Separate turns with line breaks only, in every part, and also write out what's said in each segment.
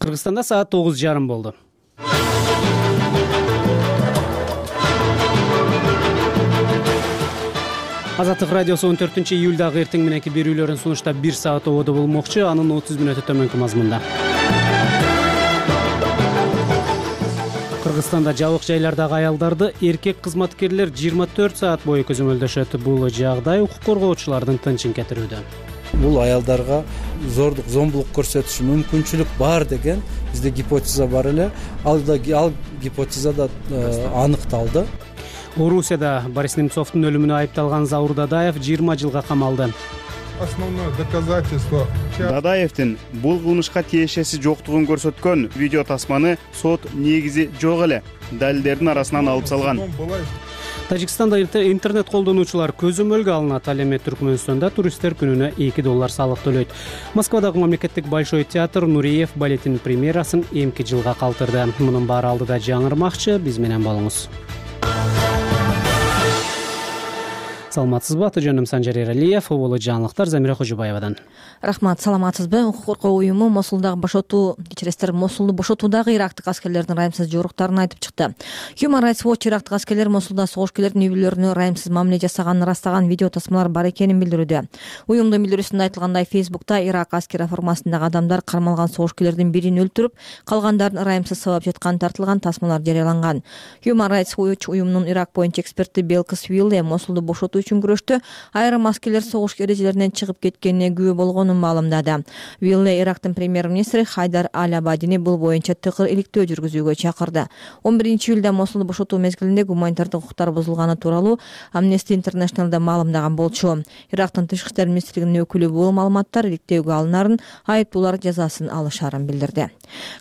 Кыргызстанда саат 9:30 болду. Азаттык радиосу 14-июлдагы эртең мененки берүүлөрүн сунушта 1 саат ободо болмокчу, анын 30 мүнөтү төмөнкү мазмунда. Кыргызстанда жабык жайлардагы аялдарды эркек кызматкерлер 24 саат бою көзөмөлдөшөт. Бул жагдай укук коргоочулардын тынчын кетирүүдө.
Бул аялдарга зордук, зомбулук көрсөтүшү мүмкүнчүлүк бар деген бизде гипотеза бар эле. Ал гипотеза да аныкталды.
Орусияда Борис Немцовдун өлүмүнө айыпталган Заур Дадаев 20 жылга камалды.
Основное доказательство.
Дадаевдин бул кылмышка тиешеси жоктугун көрсөткөн видео тасманы сот негизи жок эле далилдердин арасынан алып салган.
Тажикстанда интернет колдонуучулар көзөмөлгө алынат. Ал эми Түркмөнстанда туристтер күнүнө $2 салык төлөйт. Москвадагы мамлекеттик Большой театр Нуриев балетинин премьерасын эмки жылга калтырды. Мунун баары алдыда жаңырмакчы, биз менен болуңуз. Саламатсызбы? Аты жөнүм Санжар Эралиев, оболу жаңылыктар Замира Кожобаевадан.
Рахмат, саламатсызбы? Укук коргоо уюму Мосулду бошотуудагы ирактык аскерлердин райымсыз жоруктарын айтып чыкты. Human Rights Watch ирактык аскерлер Мосулда согушкерлердин үй бүлөлөрүнө райымсыз мамиле жасаганын ырастаган видео тасмалар бар экенин билдирүүдө. Уюмдун билдирүүсүндө айтылгандай, Facebook'та Ирак аскер формасындагы адамдар кармалган согушкерлердин бирин өлтүрүп, калгандарын райымсыз сабап жатканы тартылган тасмалар жарыяланган. Human Rights Watch уюмунун Ирак боюнча эксперти Белкис Вилле Мосулду бошотуу үчүн күрөштө айрым аскерлер согуш эрежелеринен чыгып кеткенине күбө болгонун маалымдады. Вилле Ирактын премьер-министри Хайдар Аль-Абадини бул боюнча тыкыр иликтөө жүргүзүүгө чакырды. 11-июлда Мосулду бошотуу мезгилинде гуманитардык укуктар бузулганы тууралуу Amnesty International'да маалымдаган болчу. Ирактын тышкы иштер министрлигинин өкүлү бул маалыматтар иликтөөгө алынарын, айыптуулар жазасын алышарын билдирди.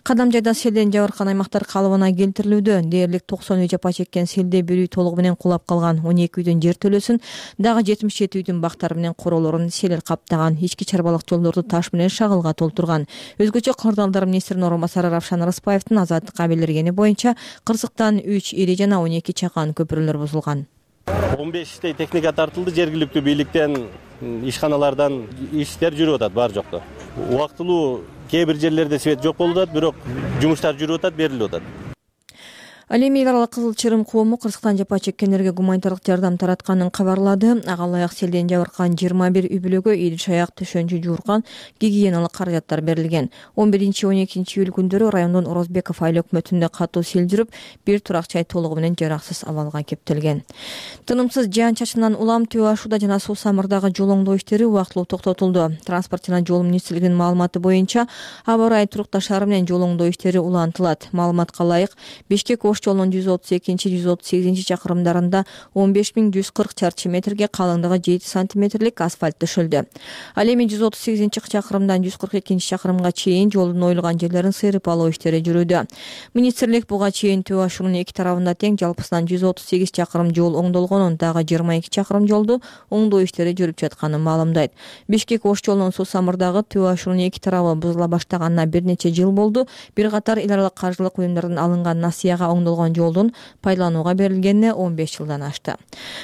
Кадам жайда селден жабыркаган аймактар калыбына келтирилүүдө. Дээрлик 90 үй жапа чеккен селде бир үй толугу менен кулап калган, 12 үйдүн жер төлөсүн, дагы 77 үйдүн бактары менен короолорун селер каптаган, ички чарбалык жолдорду таш менен шагылга толтурган. Өзгөчө кырдаалдар министринин орун басары Равшан Рыспаевдин Азаттыкка билдиргени боюнча Кырсыктан 3 ири жана 12 чакан көпүрөлөр бузулган.
15 техника тартылды, жергиликтүү бийликтен, ишканалардан иштер жүрүп атат бар жокто. Убактылуу кээ бир жерлерде свет жок болуп атат, бирок жумуштар жүрүп атат, берилип атат.
Ал эми эл аралык Кызыл Чырым коому Кыргызстан жапа чеккендерге гуманитардык жардам таратканын кабарлады. Ага ылайык селден жабыркаган 21 үй бүлөгө идиш-аяк, төшөнчү жууркан, гигиеналык каражаттар берилген. 11-12 июль күндөрү райондун Орозбеков айыл өкмөтүндө катуу сел жүрүп, бир турак жай толугу менен жараксыз абалга кептелген. Тынымсыз жаан-чачындан улам Төө Ашууда жана Суу Самырдагы жол оңдоо иштери убактылуу токтотулду. Транспорт жана жол министрлигинин маалыматы боюнча, аба ырайы турукташтары менен жол оңдоо иштери улантылат. Маалыматка ылайык, Бишкек жолунун 132-138 чакырымдарында 15140 чарчы метрге калыңдыгы 7 сантиметрлик асфальт төшөлдү. Ал эми 138 чакырымдан 142 чакырымга чейин жолдун оюлган жерлерин сыйрып алуу иштери жүрүүдө. Министрлик буга чейин Төө Ашуунун эки тарабында тең жалпысынан 138 чакырым жол оңдолгонун, дагы 22 чакырым жолду оңдоо иштери жүрүп жатканын маалымдайт. Бишкек Ош жолунун Суу Самырдагы Төө Ашуунун эки тарабы бузула баштаганына бир нече жыл болду. Бир катар эл аралык каржылык уюмдардан алынган насыяга оңдолгон жолдун пайдаланууга берилгенине 15 жылдан ашты.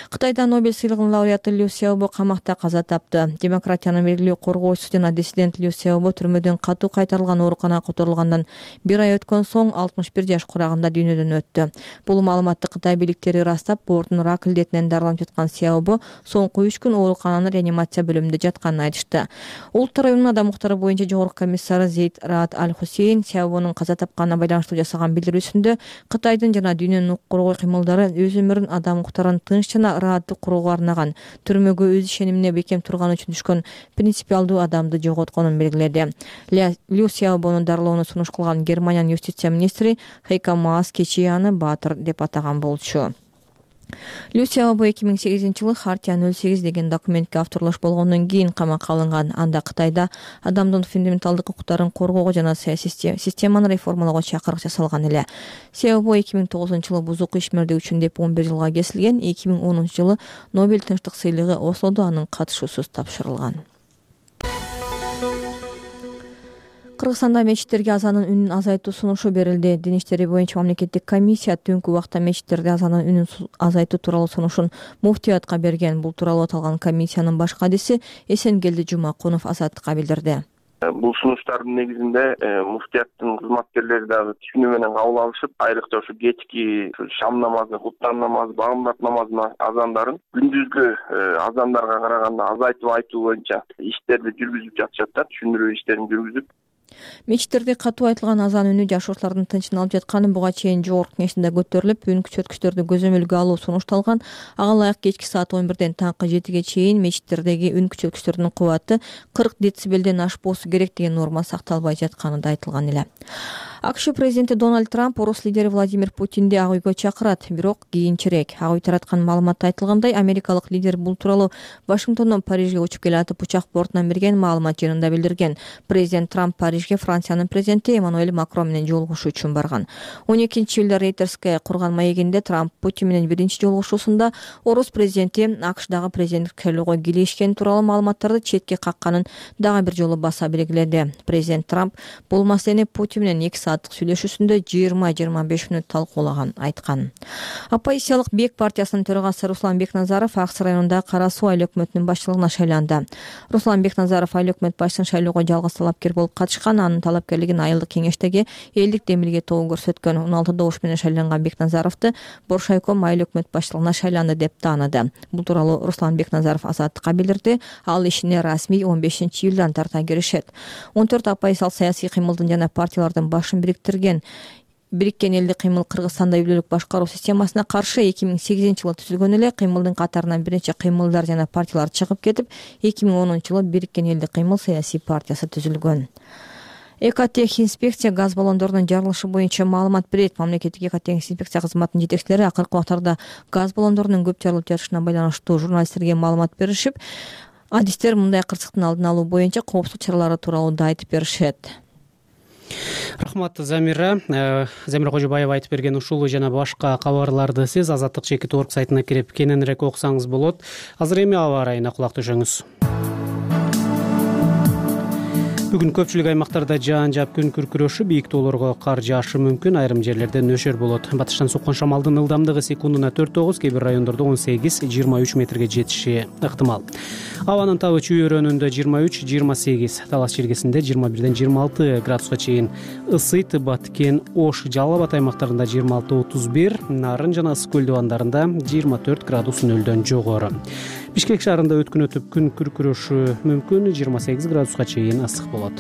Кытайда Нобель сыйлыгынын лауреаты Лю Сяобо камакта каза тапты. Демократиянын белгилүү коргоочусу жана диссидент Лю Сяобо түрмөдөн катуу кайтарылган ооруканага которулгандан бир ай өткөн соң 61 жаш курагында дүйнөдөн өттү. Бул маалыматты Кытай бийликтери ырастап, боордун рак илдетинен дарыланып жаткан Сяобо соңку 3 күн оорукананын реанимация бөлүмүндө жатканын айтышты. Улуттар уюмунун адам укуктары боюнча жогорку комиссары Зейд Раат Аль-Хусейн Сяобонун каза тапканына байланыштуу жасаган билдирүүсүндө Кытайдын жана дүйнөнүн укук коргоо кыймылдары өз өмүрүн адам укуктарын тынч жана ырааттык курууга арнаган, түрмөгө өз ишенимине бекем турган үчүн түшкөн принципиалдуу адамды жоготконун белгиледи. Лю Сяобонун дарылоону сунуш кылган Германиянын юстиция министри Хейко Маас кечээ аны баатыр деп атаган болчу. Лю Сяобо 2008-жылы Хартия 08 деген документке авторлош болгондон кийин камакка алынган. Анда Кытайда адамдын фундаменталдык укуктарын коргоого жана саясий системаны реформалоого чакырык жасалган эле. Сяобо 2009-жылы бузук ишмердик үчүн деп 11 жылга кесилген. 2010-жылы Нобель тынчтык сыйлыгы Ослодо анын катышуусуз тапшырылган. Кыргызстанда мечиттерге азанын үнүн азайтуу сунушу берилди. Дин иштери боюнча мамлекеттик комиссия түнкү убакта мечиттерде азанын үнүн азайтуу тууралуу сунушун муфтиятка берген. Бул тууралуу аталган комиссиянын баш кадиси Эсенгелди Жумакунов Азаттыкка билдирди.
Бул сунуштардын негизинде муфтияттын кызматкерлери дагы түшүнүү менен кабыл алышып, айрыкча ушу кечки шам намазы, хуттан намазы, багымдат намазынын азандарын күндүзгү азандарга караганда азайтып айтуу боюнча иштерди жүргүзүп жатышат да, түшүндүрүү иштерин жүргүзүп.
Мечиттерде катуу айтылган азан үнү жашоочулардын тынчын алып жатканы буга чейин жогорку кеңешинде көтөрүлүп, үн күчөткүчтөрдү көзөмөлгө алуу сунушталган. Ага ылайык кечки саат 11ден таңкы 7ге чейин мечиттердеги үн күчөткүчтөрдүн кубаты 40 децибелден ашпоосу керек деген норма сакталбай жатканы да айтылган эле. АКШ президенти Дональд Трамп орус лидери Владимир Путинди ак үйгө чакырат, бирок кийинчерээк. Ак үй тараткан маалыматта айтылгандай, америкалык лидер бул тууралуу Вашингтондон Парижге учуп келатып учак бортунан берген маалымат жыйынында билдирген. Президент Трамп Парижге Франциянын президенти Эммануэль Макрон менен жолугушуу үчүн барган. 12-июлда Рейтерске курган маегинде Трамп Путин менен биринчи жолугушуусунда орус президенти АКШдагы президенттик шайлоого кийлешкени тууралуу маалыматтарды четке какканын дагы бир жолу баса белгиледи. Президент Трамп бул маселени Путин менен 2 сааттык сүйлөшүүсүндө 20-25 мүнөт талкуулаган айткан. Оппозициялык Бек партиясынын төрагасы Руслан Бекназаров Аксы районундагы Кара Суу айыл өкмөтүнүн башчылыгына шайланды. Руслан Бекназаров айыл өкмөт башчысын шайлоого жалгыз талапкер болуп катышкан. Анын талапкерлигин айылдык кеңештеги элдик демилге тобу көрсөткөн. 16 добуш менен шайланган Бекназаровду Боршайком айыл өкмөт башчылыгына шайланды деп тааныды. Бул тууралуу Руслан Бекназаров Азаттыкка билдирди. Ал ишине расмий 15-июлдан тарта киришет. 14 оппозициялык саясий кыймылдын жана партиялардын башын бириктирген Бириккен элдик кыймыл Кыргызстанда үй бүлөлүк башкаруу системасына каршы 2008-жылы түзүлгөн эле. Кыймылдын катарынан бир нече кыймылдар жана партиялар чыгып кетип, 2010-жылы Бириккен элдик кыймыл саясий партиясы түзүлгөн. Экотех инспекция газ баллондорунун жарылышы боюнча маалымат берет. Мамлекеттик экотех инспекция кызматынын жетекчилери акыркы убактарда газ баллондорунун көп жарылып жатышына байланыштуу журналисттерге маалымат беришип, адистер мындай кырсыктын алдын алуу боюнча коопсуздук чаралары тууралуу да айтып беришет.
Рахмат, Замира Кожобаева айтып берген ушул жана башка кабарларды сиз Азаттык.org сайтына кирип кененирээк окусаңыз болот. Азыр эми аба ырайына кулак түшөңүз. Бүгүн көпчүлүк аймактарда жаан жаап күн күркүрөшүп, бийик тоолорго кар жаашы мүмкүн, айрым жерлерде нөшөр болот. Батыштан соккон шамалдын ылдамдыгы секундуна 4-9, кээ бир райондордо 18-23 метрге жетиши ыктымал. Абанын табы чүй өрөөнүндө 23-28, Талас чиркесинде 21-26 градуска чейин ысыйт. Баткен, Ош, Жалал Абад аймактарында 26-31, Нарын жана Ысык көл дубандарында 24 градус нөлдөн жогору. Бишкек шаарында өткүн өтүп күн күркүрөшү мүмкүн, 28 градуска чейин ысык болот.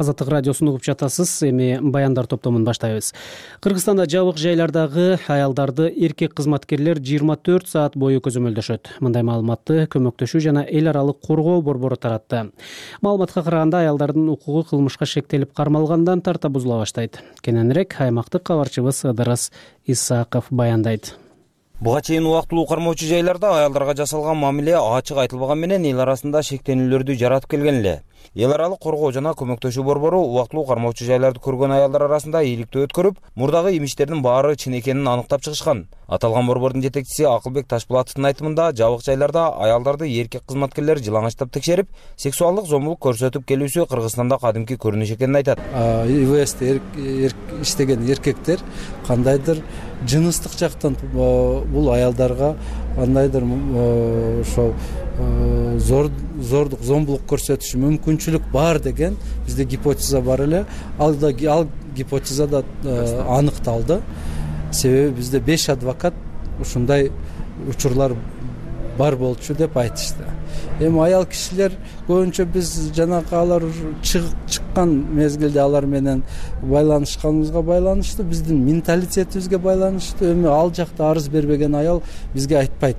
Азаттык радиосун угуп жатасыз. Эми баяндар топтомун баштайбыз. Кыргызстанда жабык жайлардагы аялдарды эркек кызматкерлер 24 саат бою көзөмөлдөшөт. Мындай маалыматты Көмөктөшүү жана эл аралык коргоо борбору таратты. Маалыматка караганда, аялдардын укугу кылмышка шектелип кармалгандан тарта бузула баштайт. Кененирээк аймактык кабарчыбыз Ыдырыс Исаков баяндайт.
Буга чейин убактылуу кармоочу жайларда аялдарга жасалган мамиле ачык айтылбаган менен эл арасында шектенүүлөрдү жаратып келген эле. Эл аралык коргоо жана көмөктөшүү борбору убактылуу кармоочу жайларды көргөн аялдар арасында ийгиликтүү өткөрүп, мурдагы имишттердин баары чын экенин аныктап чыгышкан. Аталган борбордун жетекчиси Акылбек Ташпулатовдун айтымында, жабык жайларда аялдарды эркек кызматкерлер жылаңачтап текшерип, сексуалдык зомбулук көрсөтүп келүүсү Кыргызстанда кадимки көрүнүш экенин айтат.
ИВСте иштеген эркектер кандайдыр жыныстык жактан бул аялдарга кандайдыр ошол зордук, зомбулук көрсөтүшү мүмкүнчүлүк бар деген бизде гипотеза бар эле. Ал гипотеза да аныкталды. Себеби бизде 5 адвокат ушундай учурлар бар болчу деп айтышты. Эми аял кишилер көбүнчө биз жанагы алар чыккан мезгилде алар менен байланышканыбызга байланыштуу, биздин менталитетибизге байланыштуу. Эми ал жакта арыз бербеген аял бизге айтпайт.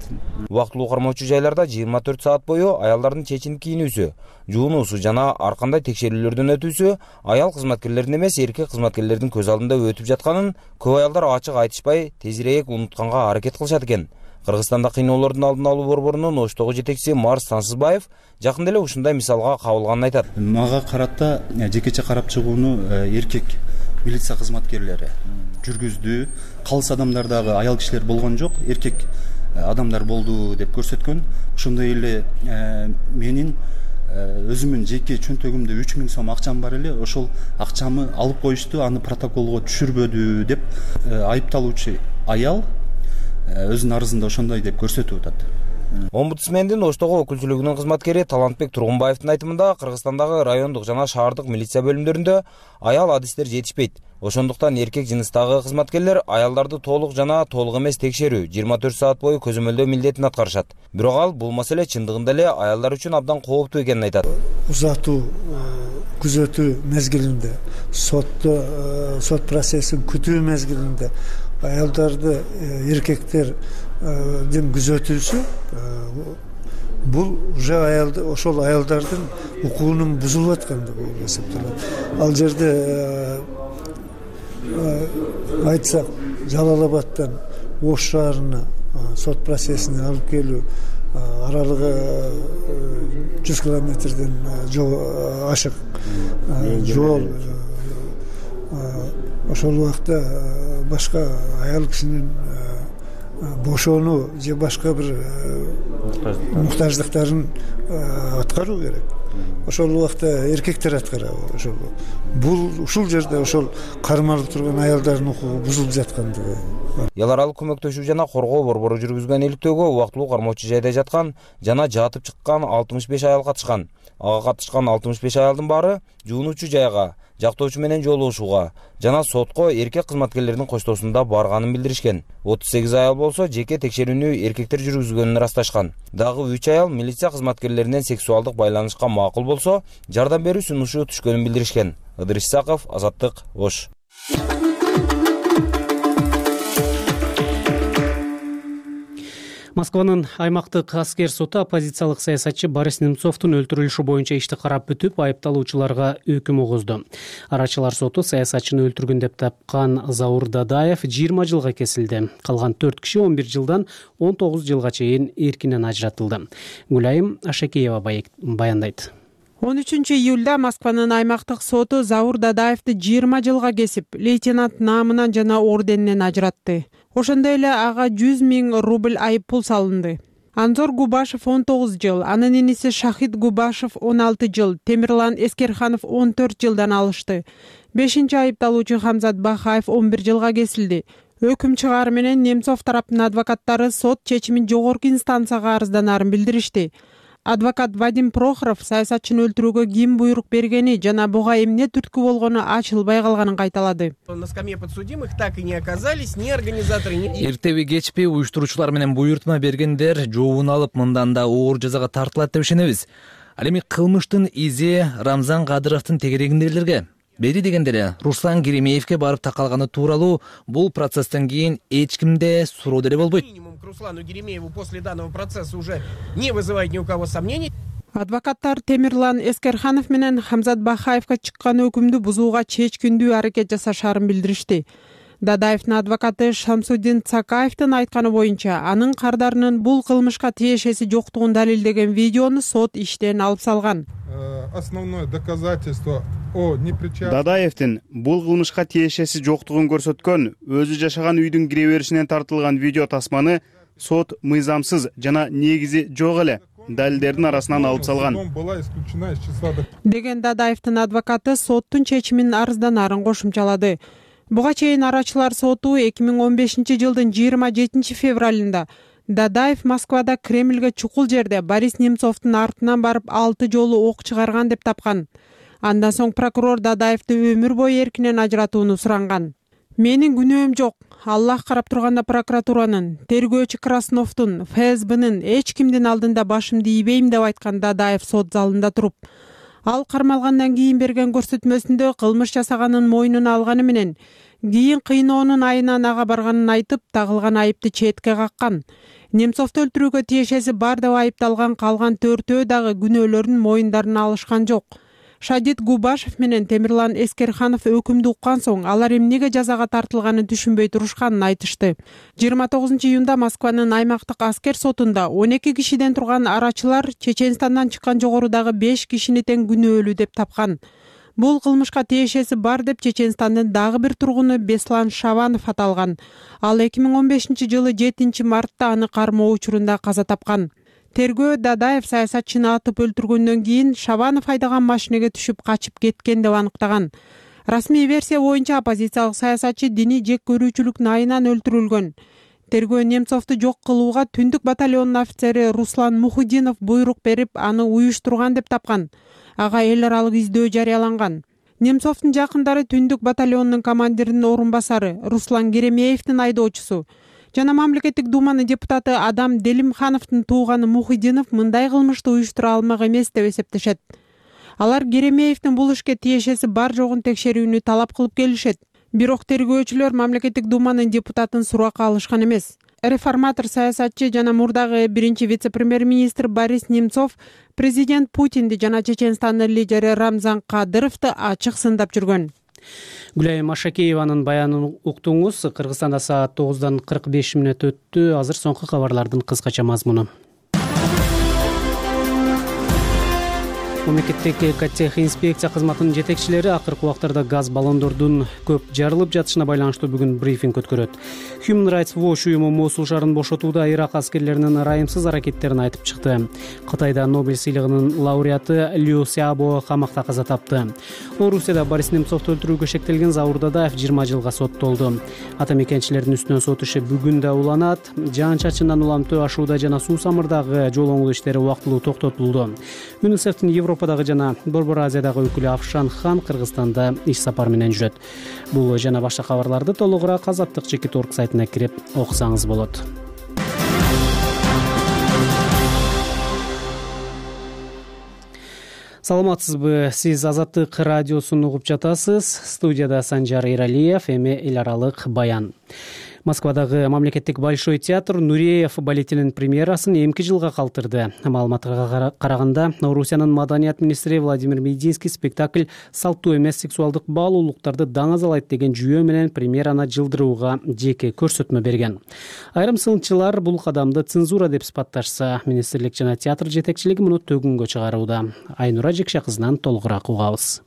Убактылуу кармоочу жайларда 24 саат бою аялдардын чечинип кийинүүсү, жуунуусу жана ар кандай текшерүүлөрдөн өтүүсү аял кызматкерлердин эмес, эркек кызматкерлердин көз алдында өтүп жатканын көп аялдар ачык айтышпай, тезирээк унутканга аракет кылышат экен. Кыргызстанда кыйноолордун алдын алуу борборунун Оштогу жетекчиси Марс Сансызбаев жакында эле ушундай мисалга кабылганын айтат.
Мага карата жекече карап чыгууну эркек милиция кызматкерлери жүргүздү. Калыс адамдар дагы аял кишилер болгон жок, эркек адамдар болду деп көрсөткөн. Ошондой эле менин өзүмдүн жеке чөнтөгүмдө 3000 сом акчам бар эле, ошол акчамы алып коюшту, аны протоколго түшүрбөдү деп айыпталуучу аял өзүнүн арызында ошондой деп көрсөтүп атат.
Омбудсмендин Оштогу өкүлчүлүгүнүн кызматкери Талантбек Тургунбаевдин айтымында, Кыргызстандагы райондук жана шаардык милиция бөлүмдөрүндө аял адистер жетишпейт. Ошондуктан эркек жыныстагы кызматкерлер аялдарды толук жана толук эмес текшерүү, 24 саат бою көзөмөлдөө милдетин аткарышат. Бирок ал бул маселе чындыгында эле аялдар үчүн абдан кооптуу экенин айтат.
Узатуу күзөтүү мезгилинде, сот процессин күтүү мезгилинде аялдарды эркектердин күзөтүүсү бул уже ошол аялдардын укугунун бузулуп аткандыгы болуп эсептелет. Ал жерде айтсак, Жалал-Абадтан Ош шаарына сот процессине алып келүү аралыгы 100 километрден ашык жол. Ошол убакта башка аял кишинин бошонуу же башка бир муктаждыктарын аткаруу керек. Ошол убакта эркектер аткарабы? Ушул жерде ошол кармалып турган аялдардын укугу бузулуп жаткандыгы.
Эл аралык көмөктөшүү жана коргоо борбору жүргүзгөн иликтөөгө убактылуу кармоочу жайда жаткан жана жатып чыккан 65 аял катышкан. Ага катышкан 65 аялдын баары жуунуучу жайга, жактоочу менен жолугушууга жана сотко эркек кызматкерлердин коштоосунда барганын билдиришкен. 38 аял болсо жеке текшерүүнү эркектер жүргүзгөнүн ырасташкан. Дагы 3 аял милиция кызматкерлеринен сексуалдык байланышка макул болсо, жардам берүү сунушу түшкөнүн билдиришкен. Ыдырыс Исаков, Азаттык, Ош.
Москванын аймактык аскер соту оппозициялык саясатчы Борис Немцовдун өлтүрүлүшү боюнча ишти карап бүтүп, айыпталуучуларга өкүм угузду. Арачылар соту саясатчыны өлтүргөн деп тапкан Заур Дадаев 20 жылга кесилди. Калган 4 киши 11 жылдан 19 жылга чейин эркинен ажыратылды. Гүлайым Ашакеева баяндайт.
13 июлда Москванын аймактык соту Заур Дадаевди 20 жылга кесип, лейтенант наамынан жана орденинен ажыратты. Ошондой эле ага 100 000 рубль айып пул салынды. Анзор Губашев 19 жыл, анын иниси Шахид Губашев 16 жыл, Темирлан Эскерханов 14 жылдан алышты. 5-чи айыпталуучу Хамзат Бахаев 11 жылга кесилди. Өкүм чыгары менен Немцов тараптын адвокаттары сот чечимин жогорку инстанцияга арызданарын билдиришти. Адвокат Вадим Прохоров саясатчыны өлтүрүүгө ким буйрук бергени жана буга эмне түрткү болгону ачылбай калганын кайталады.
На скамье подсудимых так и не оказались ни организаторы, ни...
Эртеби кечпи уюштуруучулар менен буйртма бергендер жообун алып мындан да оор жазага тартылат деп ишенебиз. Ал эми кылмыштын изи Рамзан Кадыровдун тегерегиндегилерге, бери дегенде эле Руслан Керемеевке барып такалганы тууралуу бул процесстен кийин эч кимде суроо деле болбойт.
К Руслану Керемееву после данного процесса уже не вызывает ни у кого сомнений.
Адвокаттар Темирлан Эскерханов менен Хамзат Бахаевка чыккан өкүмдү бузууга чечкиндүү аракет жасашарын билдиришти. Дадаевдин адвокаты Шамсуддин Цакаевдин айтканы боюнча, анын кардарынын бул кылмышка тиешеси жоктугун далилдеген видеону сот иштен алып салган.
Основное доказательство о непричастности.
Дадаевдин бул кылмышка тиешеси жоктугун көрсөткөн өзү жашаган үйдүн кире беришинен тартылган видео тасманы сот мыйзамсыз жана негизи жок эле далилдердин арасынан алып салган
деген Дадаевдин адвокаты соттун чечимин арызданарын кошумчалады. Буга чейин арачылар соту 2015 жылдын 27 февралында Дадаев Москвада Кремльге чукул жерде Борис Немцовдун артынан барып 6 жолу ок чыгарган деп тапкан. Андан соң прокурор Дадаевди өмүр бою эркинен ажыратууну суранган. Менин күнөөм жок. Аллах карап турганда прокуратуранын, тергөөчү Красновдун, ФСБнын эч кимдин алдында башымды ийбейм деп айткан Дадаев сот залында туруп. Ал кармалгандан кийин берген көрсөтмөсүндө кылмыш жасаганын мойнуна алганы менен кийин кыйноонун айынан ага барганын айтып, тагылган айыпты четке каккан. Немцовду өлтүрүүгө тиешеси бар деп айыпталган калган 4-өө дагы күнөөлөрүн мойындарына алышкан жок. Шадид Губашев менен Темирлан Эскерханов өкүмдү уккан соң алар эмнеге жазага тартылганын түшүнбөй турушканын айтышты. 29 июнда Москванын аймактык аскер сотунда 12 кишиден турган арачылар Чеченстандан чыккан жогорудагы 5 кишини тең күнөөлүү деп тапкан. Бул кылмышка тиешеси бар деп Чеченстандын дагы бир тургуну Беслан Шаванов аталган. Ал 2015 жылы 7 мартта аны кармоо учурунда каза тапкан. Тергөө Дадаев саясатчыны атып өлтүргөндөн кийин Шабанов айдаган машинеге түшүп качып кеткен деп аныктаган. Расмий версия боюнча оппозициялык саясатчы диний жек көрүүчүлүктүн айынан өлтүрүлгөн. Тергөө Немцовду жок кылууга түндүк батальонунун офицери Руслан Мухудинов буйрук берип, аны уюштурган деп тапкан. Ага эл аралык издөө жарыяланган. Немцовдун жакындары түндүк батальонунун командиринин орун басары Руслан Керемеевдин айдоочусу жана мамлекеттик думанын депутаты Адам Делимхановдун тууганы Мухудинов мындай кылмышты уюштура алмак эмес деп эсептешет. Алар Керемеевдин бул ишке тиешеси бар жогун текшерүүнү талап кылып келишет. Бирок тергөөчүлөр мамлекеттик думанын депутатын суракка алышкан эмес. Реформатор саясатчы жана мурдагы биринчи вице-премьер-министр Борис Немцов президент Путинди жана Чеченстандын лидери Рамзан Кадыровду ачык сындап жүргөн.
Гүлайым Ашакееванын баянын уктуңуз. Кыргызстанда саат 9:45 өттү. Азыр соңку кабарлардын кыскача мазмуну. Мамлекеттик экотех инспекция кызматынын жетекчилери акыркы убактарда газ баллондордун көп жарылып жатышына байланыштуу бүгүн брифинг өткөрөт. Human Rights Watch уюму Мосул шаарын бошотууда Ирак аскерлеринин ырайымсыз аракеттерин айтып чыкты. Кытайда Нобель сыйлыгынын лауреаты Лю Сяобо камакта каза тапты. Орусияда Борис Немцовду өлтүрүүгө шектелген Заур Дадаев 20 жылга соттолду. Ата мекенчилердин үстүнөн сот иши бүгүн да уланат. Жаан-чачындан улам төө ашууда жана суу самырдагы жол оңдоо иштери убактылуу токтотулду. ЮНИСЕФтин Европадагы жана Борбор Азиядагы өкүлү Афшан Хан Кыргызстанда иш сапар менен жүрөт. Бул жана башка кабарларды толугураак Азаттык Чекит.org сайтына кирип окусаңыз болот. Саламатсызбы? Сиз Азаттык радиосун угуп жатасыз. Студияда Санжар Иралиев, эми эл аралык баян. Москвадагы мамлекеттик Большой театр Нуреев балетинин премьерасын эмки жылга калтырды. Маалыматка караганда, Орусиянын маданият министри Владимир Мединский спектакль салттуу эмес сексуалдык баалуулуктарды даңазалайт деген жүйө менен премьераны жылдырууга жеке көрсөтмө берген. Айрым сынчылар бул кадамды цензура деп сыпатташса, министрлик жана театр жетекчилиги муну төгүнгө чыгарууда. Айнура Жекше кызынан толугураак угабыз.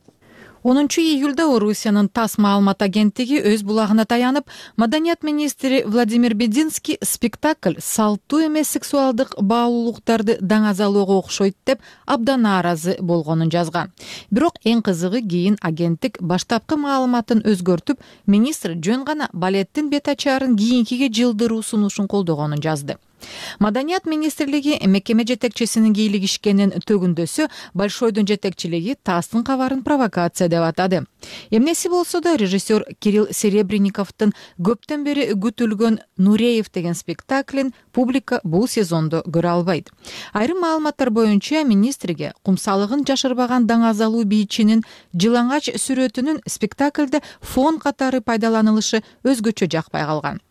10 июлда Орусиянын ТАСС маалымат агенттиги өз булагына таянып, маданият министри Владимир Мединский спектакль салттуу эмес сексуалдык баалуулуктарды даңазалоого окшойт деп абдан нааразы болгонун жазган. Бирок эң кызыгы, кийин агенттик баштапкы маалыматын өзгөртүп, министр жөн гана балеттин бет ачаарын кийинкиге жылдыруу сунушун колдогонун жазды. Маданият министрлиги мекеме жетекчисинин кийлигишкенин төгүндөсү Большойдун жетекчилиги ТАССтын кабарын провокация деп атады. Эмнеси болсо да режиссер Кирилл Серебренниковдун көптөн бери күтүлгөн Нуреев деген спектаклин публика бул сезондо көрө албайт. Айрым маалыматтар боюнча министрге кумсалыгын жашырбаган даңазалуу бийчинин жылаңач сүрөтүнүн спектаклде фон катары пайдаланылышы өзгөчө жакпай калган.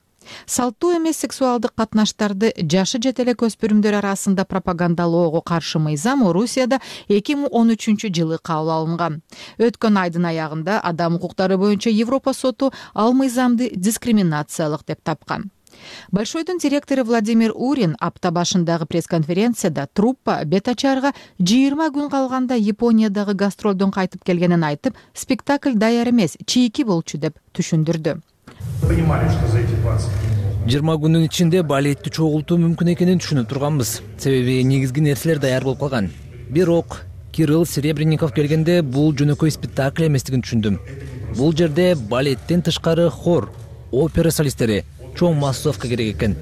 Салттуу эмес сексуалдык катнаштарды жашы жете эле көспүрүмдөр арасында пропагандалоого каршы мыйзам Орусияда 2013 жылы кабыл алынган. Өткөн айдын аягында адам укуктары боюнча Европа соту ал мыйзамды дискриминациялык деп тапкан. Большойдун директору Владимир Урин апта башындагы пресс-конференцияда труппа бет ачарга 20 күн калганда Япониядагы гастролдон кайтып келгенин айтып, спектакль даяр эмес, чийки болчу деп түшүндүрдү.
20 күнүн ичинде балетти чогултуу мүмкүн экенин түшүнүп турганбыз. Себеби негизги нерселер даяр болуп калган. Бирок Кирилл Серебренников келгенде бул жөнөкөй спектакль эместигин түшүндүм. Бул жерде балеттен тышкары хор, опера солисттери, чоң массовка керек экен.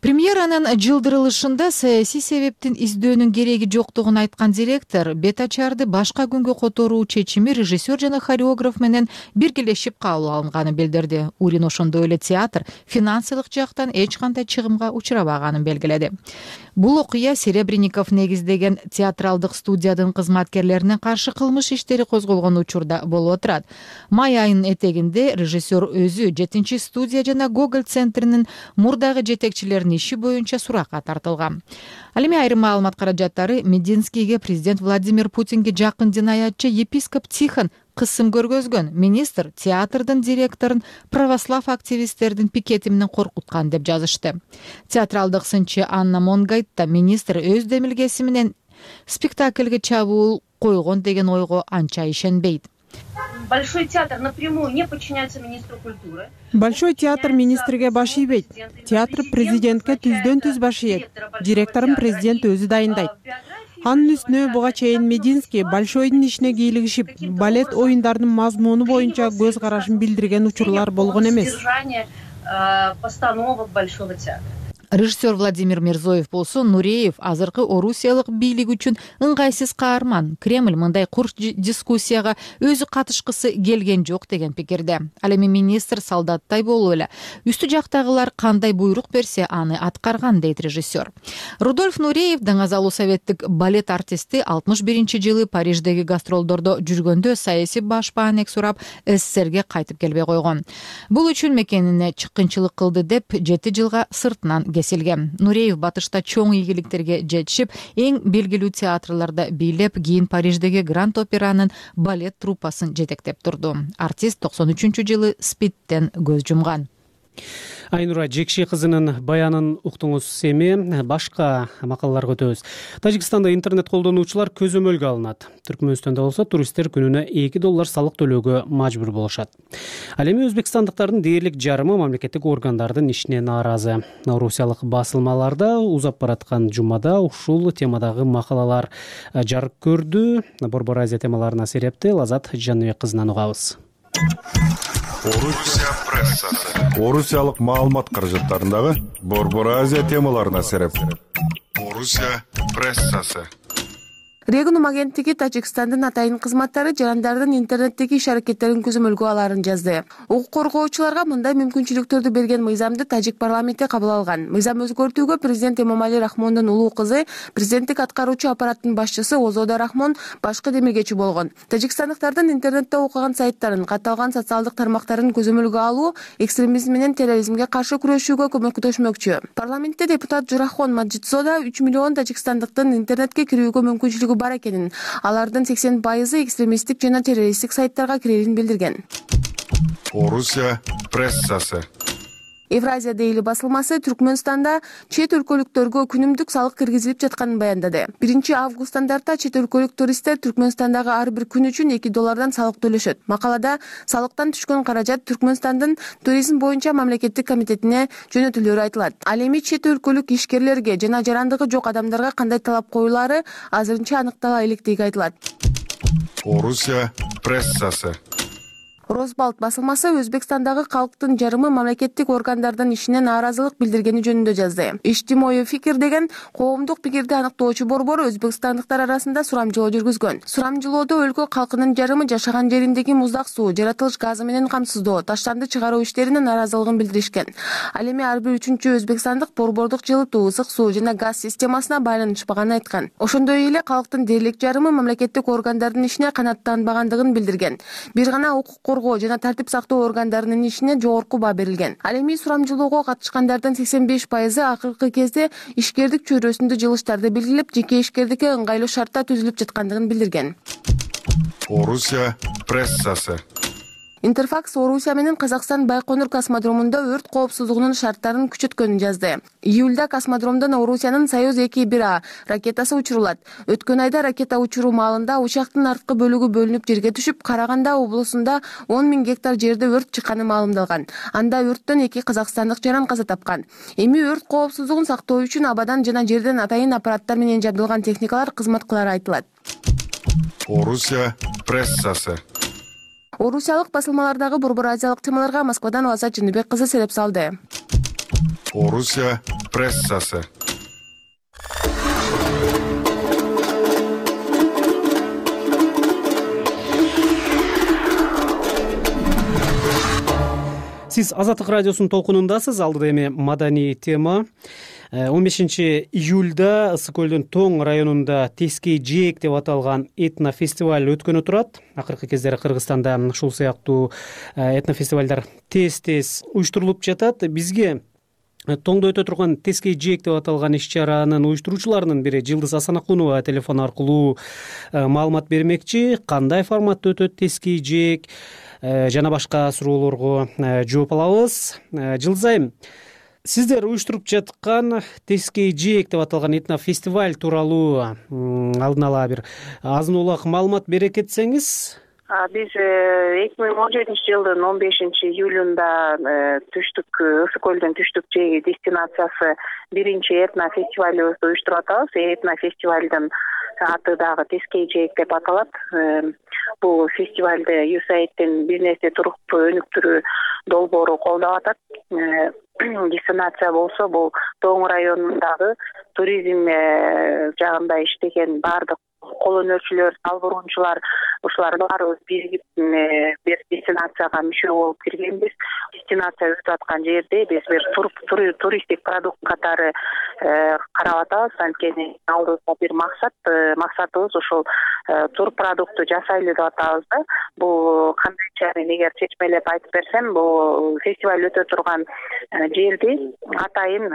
Премьеранын жылдырылышында саясий себептин издөөнүн кереги жоктугун айткан директор бет ачарды башка күнгө которуу чечими режиссер жана хореограф менен биргелешип кабыл алынганын билдирди. Урин ошондой эле театр финансылык жактан эч кандай чыгымга учурабаганын белгиледи. Бул окуя Серебренников негиздеген театралдык студиянын кызматкерлерине каршы кылмыш иштери козголгон учурда болуп отурат. Май айынын этегинде режиссер өзү 7 студия жана Гоголь центринин мурдагы жетекчилеринин иши боюнча суракка тартылган. Ал эми айрым маалымат каражаттары Мединскийге президент Владимир Путинге жакын динаятчы епископ Тихон кысым көргөзгөн. Министр театрдын директорун православ активисттердин пикети менен коркуткан деп жазышты. Театралдык сынчы Анна Монгайт да министр өз демилгеси менен спектакльге чабуул койгон деген ойго анча ишенбейт.
Большой театр напрямую не подчиняется министру культуры.
Большой театр министрге баш ийбейт. Театр президентке түздөн түз баш ийет. Директорун президент өзү дайындайт. Анын үстүнө буга чейин Мединский Большойдун ишине кийлигишип, балет оюндарынын мазмуну боюнча көз карашын билдирген учурлар болгон эмес.
Постановок Большого театра.
Режиссер Владимир Мирзоев болсо Нуреев азыркы орусиялык бийлик үчүн ыңгайсыз каарман. Кремль мындай курч дискуссияга өзү катышкысы келген жок деген пикирде. Ал эми министр солдаттай болуп эле үстү жактагылар кандай буйрук берсе аны аткарган дейт режиссер. Рудольф Нуреев Даңазалуу советтик балет артисти 61-жылы Париждеги гастролдордо жүргөндө саясий баш баанек сурап СССРге кайтып келбей койгон. Бул үчүн мекенине чыккынчылык кылды деп 7 жылга сыртынан кесилген. Нуреев батышта чоң ийгиликтерге жетишип, эң белгилүү театрларда бийлеп, кийин Париждеги Гранд Операнын балет труппасын жетектеп турду. Артист 93-жылы СПИДтен көз жумган.
Айнура Жекши кызынын баянын уктуңуз. Эми башка макалаларга өтөбүз. Тажикстанда интернет колдонуучулар көзөмөлгө алынат. Түркмөнстөндө болсо туристтер күнүнө $2 салык төлөөгө мажбур болушат. Ал эми өзбекстандыктардын дээрлик жарымы мамлекеттик органдардын ишине нааразы. Орусиялык басылмаларда узап бараткан жумада ушул темадагы макалалар жарык көрдү. Борбор Азия темаларына серепти Лазат Жаныбек кызынан угабыз.
Орусия прессасы. Орусиялык маалымат каражаттарындагы Борбор Азия темаларына сереп. Орусия прессасы.
Регунум агенттиги Тажикстандын атайын кызматтары жарандардын интернеттеги иш аракеттерин көзөмөлгө аларын жазды. Укук коргоочуларга мындай мүмкүнчүлүктөрдү берген мыйзамды Тажик парламенти кабыл алган. Мыйзам өзгөртүүгө президент Эмомали Рахмондун улуу кызы, президенттик аткаруучу аппараттын башчысы Озода Рахмон башкы демилгечи болгон. Тажикстандыктардын интернетте окуган сайттарын, катталган социалдык тармактарын көзөмөлгө алуу экстремизм менен терроризмге каршы күрөшүүгө көмөктөшмөкчү. Парламентте депутат Журахон Маджидзода 3 миллион тажикстандыктын интернетке кирүүгө мүмкүнчүлүгү бар экенин, алардын 80% экстремисттик жана террористтик сайттарга кирерин билдирген.
Орусия прессасы.
Евразия Дейли басылмасы Түркмөнстанда чет өлкөлүктөргө күнүмдүк салык киргизилип жатканын баяндады. 1-августтан тарта чет өлкөлүк туристтер Түркмөнстандагы ар бир күн үчүн $2 салык төлөшөт. Макалада салыктан түшкөн каражат Түркмөнстандын туризм боюнча мамлекеттик комитетине жөнөтүлөрү айтылат. Ал эми чет өлкөлүк ишкерлерге жана жарандыгы жок адамдарга кандай талап коюлары азырынча аныктала электиги айтылат.
Орусия прессасы.
Росбалт басылмасы Өзбекстандагы калктын жарымы мамлекеттик органдардын ишине нааразылык билдиргени жөнүндө жазды. Иштимой фикир деген коомдук пикирди аныктоочу борбор өзбекстандыктар арасында сурамжылоо жүргүзгөн. Сурамжылоодо өлкө калкынын жарымы жашаган жериндеги муздак суу, жаратылыш газы менен камсыздоо, таштанды чыгаруу иштерине нааразылыгын билдиришкен. Ал эми ар бир 3-чү өзбекстандык борбордук жылытуу, ысык суу жана газ системасына байланышпаганын айткан. Ошондой эле калктын дээрлик жарымы мамлекеттик органдардын ишине канааттанбагандыгын билдирген. Бир гана укук коргоо жана тартип сактоо органдарынын ишине жогорку баа берилген. Ал эми сурамжылоого катышкандардын 85% акыркы кезде ишкердик чөйрөсүндө жылыштарды белгилеп, жеке ишкердикке ыңгайлуу шартта түзүлүп жаткандыгын билдирген.
Орусия прессасы.
Интерфакс Орусия менен Казакстан Байконур космодромунда өрт коопсуздугунун шарттарын күчөткөнүн жазды. Июлда космодромдон Орусиянын Союз 2-1А ракетасы учурулат. Өткөн айда ракета учуруу маалында учактын арткы бөлүгү бөлүнүп жерге түшүп, Караганда облусунда 10 000 гектар жерде өрт чыкканы маалымдалган. Анда өрттөн 2 казакстандык жаран каза тапкан. Эми өрт коопсуздугун сактоо үчүн абадан жана жерден атайын аппараттар менен жабдылган техникалар кызмат кылары айтылат.
Орусия прессасы.
Орусиялык басылмалардагы Борбор Азиялык темаларга Москвадан Лазат Жаныбек кызы сереп салды.
Орусия прессасы.
Сиз Азаттык радиосунун толкунундасыз. Алдыда эми маданий тема. 15-июлда Ысык көлдүн Тоң районунда Тескей Жээк деп аталган этнофестиваль өткөнү турат. Акыркы кездери Кыргызстанда ушул сыяктуу этнофестивалдар тез-тез уюштурулуп жатат. Бизге Тоңдо өтө турган Тескей Жээк деп аталган иш-чаранын уюштуруучуларынын бири Жылдыз Асанакунова телефон аркылуу маалымат бермекчи. Кандай форматта өтөт Тескей Жээк жана башка суроолорго жооп алабыз. Жылдыз айым, сиздер уюштуруп жаткан Тескей Жээк деп аталган этнофестиваль тууралуу алдын ала бир азын улак маалымат бере кетсеңиз
Биз 2017-жылдын 15-июлунда түштүк Ысык көлдүн түштүк жээги дестинациясы биринчи этно фестивалыбызды уюштуруп атабыз. Этно фестивалдын аты дагы Тескей жээк деп аталат. Бул фестивалды USAIDтин бизнести туруктуу өнүктүрүү долбоору колдоп атат. Дестинация болсо бул Тоң районундагы туризм жагында иштеген баардык кол өнөрчүлөр, сал буруунчулар, ушулар баарыбыз биригип бир дестинацияга мүчө болуп киргенбиз. Дестинация өтүп аткан жерде биз бир туристтик продукт катары карап атабыз. Анткени алдыбызда бир максатыбыз ушул тур продукту жасайлы деп атабыз да. Бул кандайча мен эгер чечмелеп айтып берсем, бул фестиваль өтө турган жерди атайын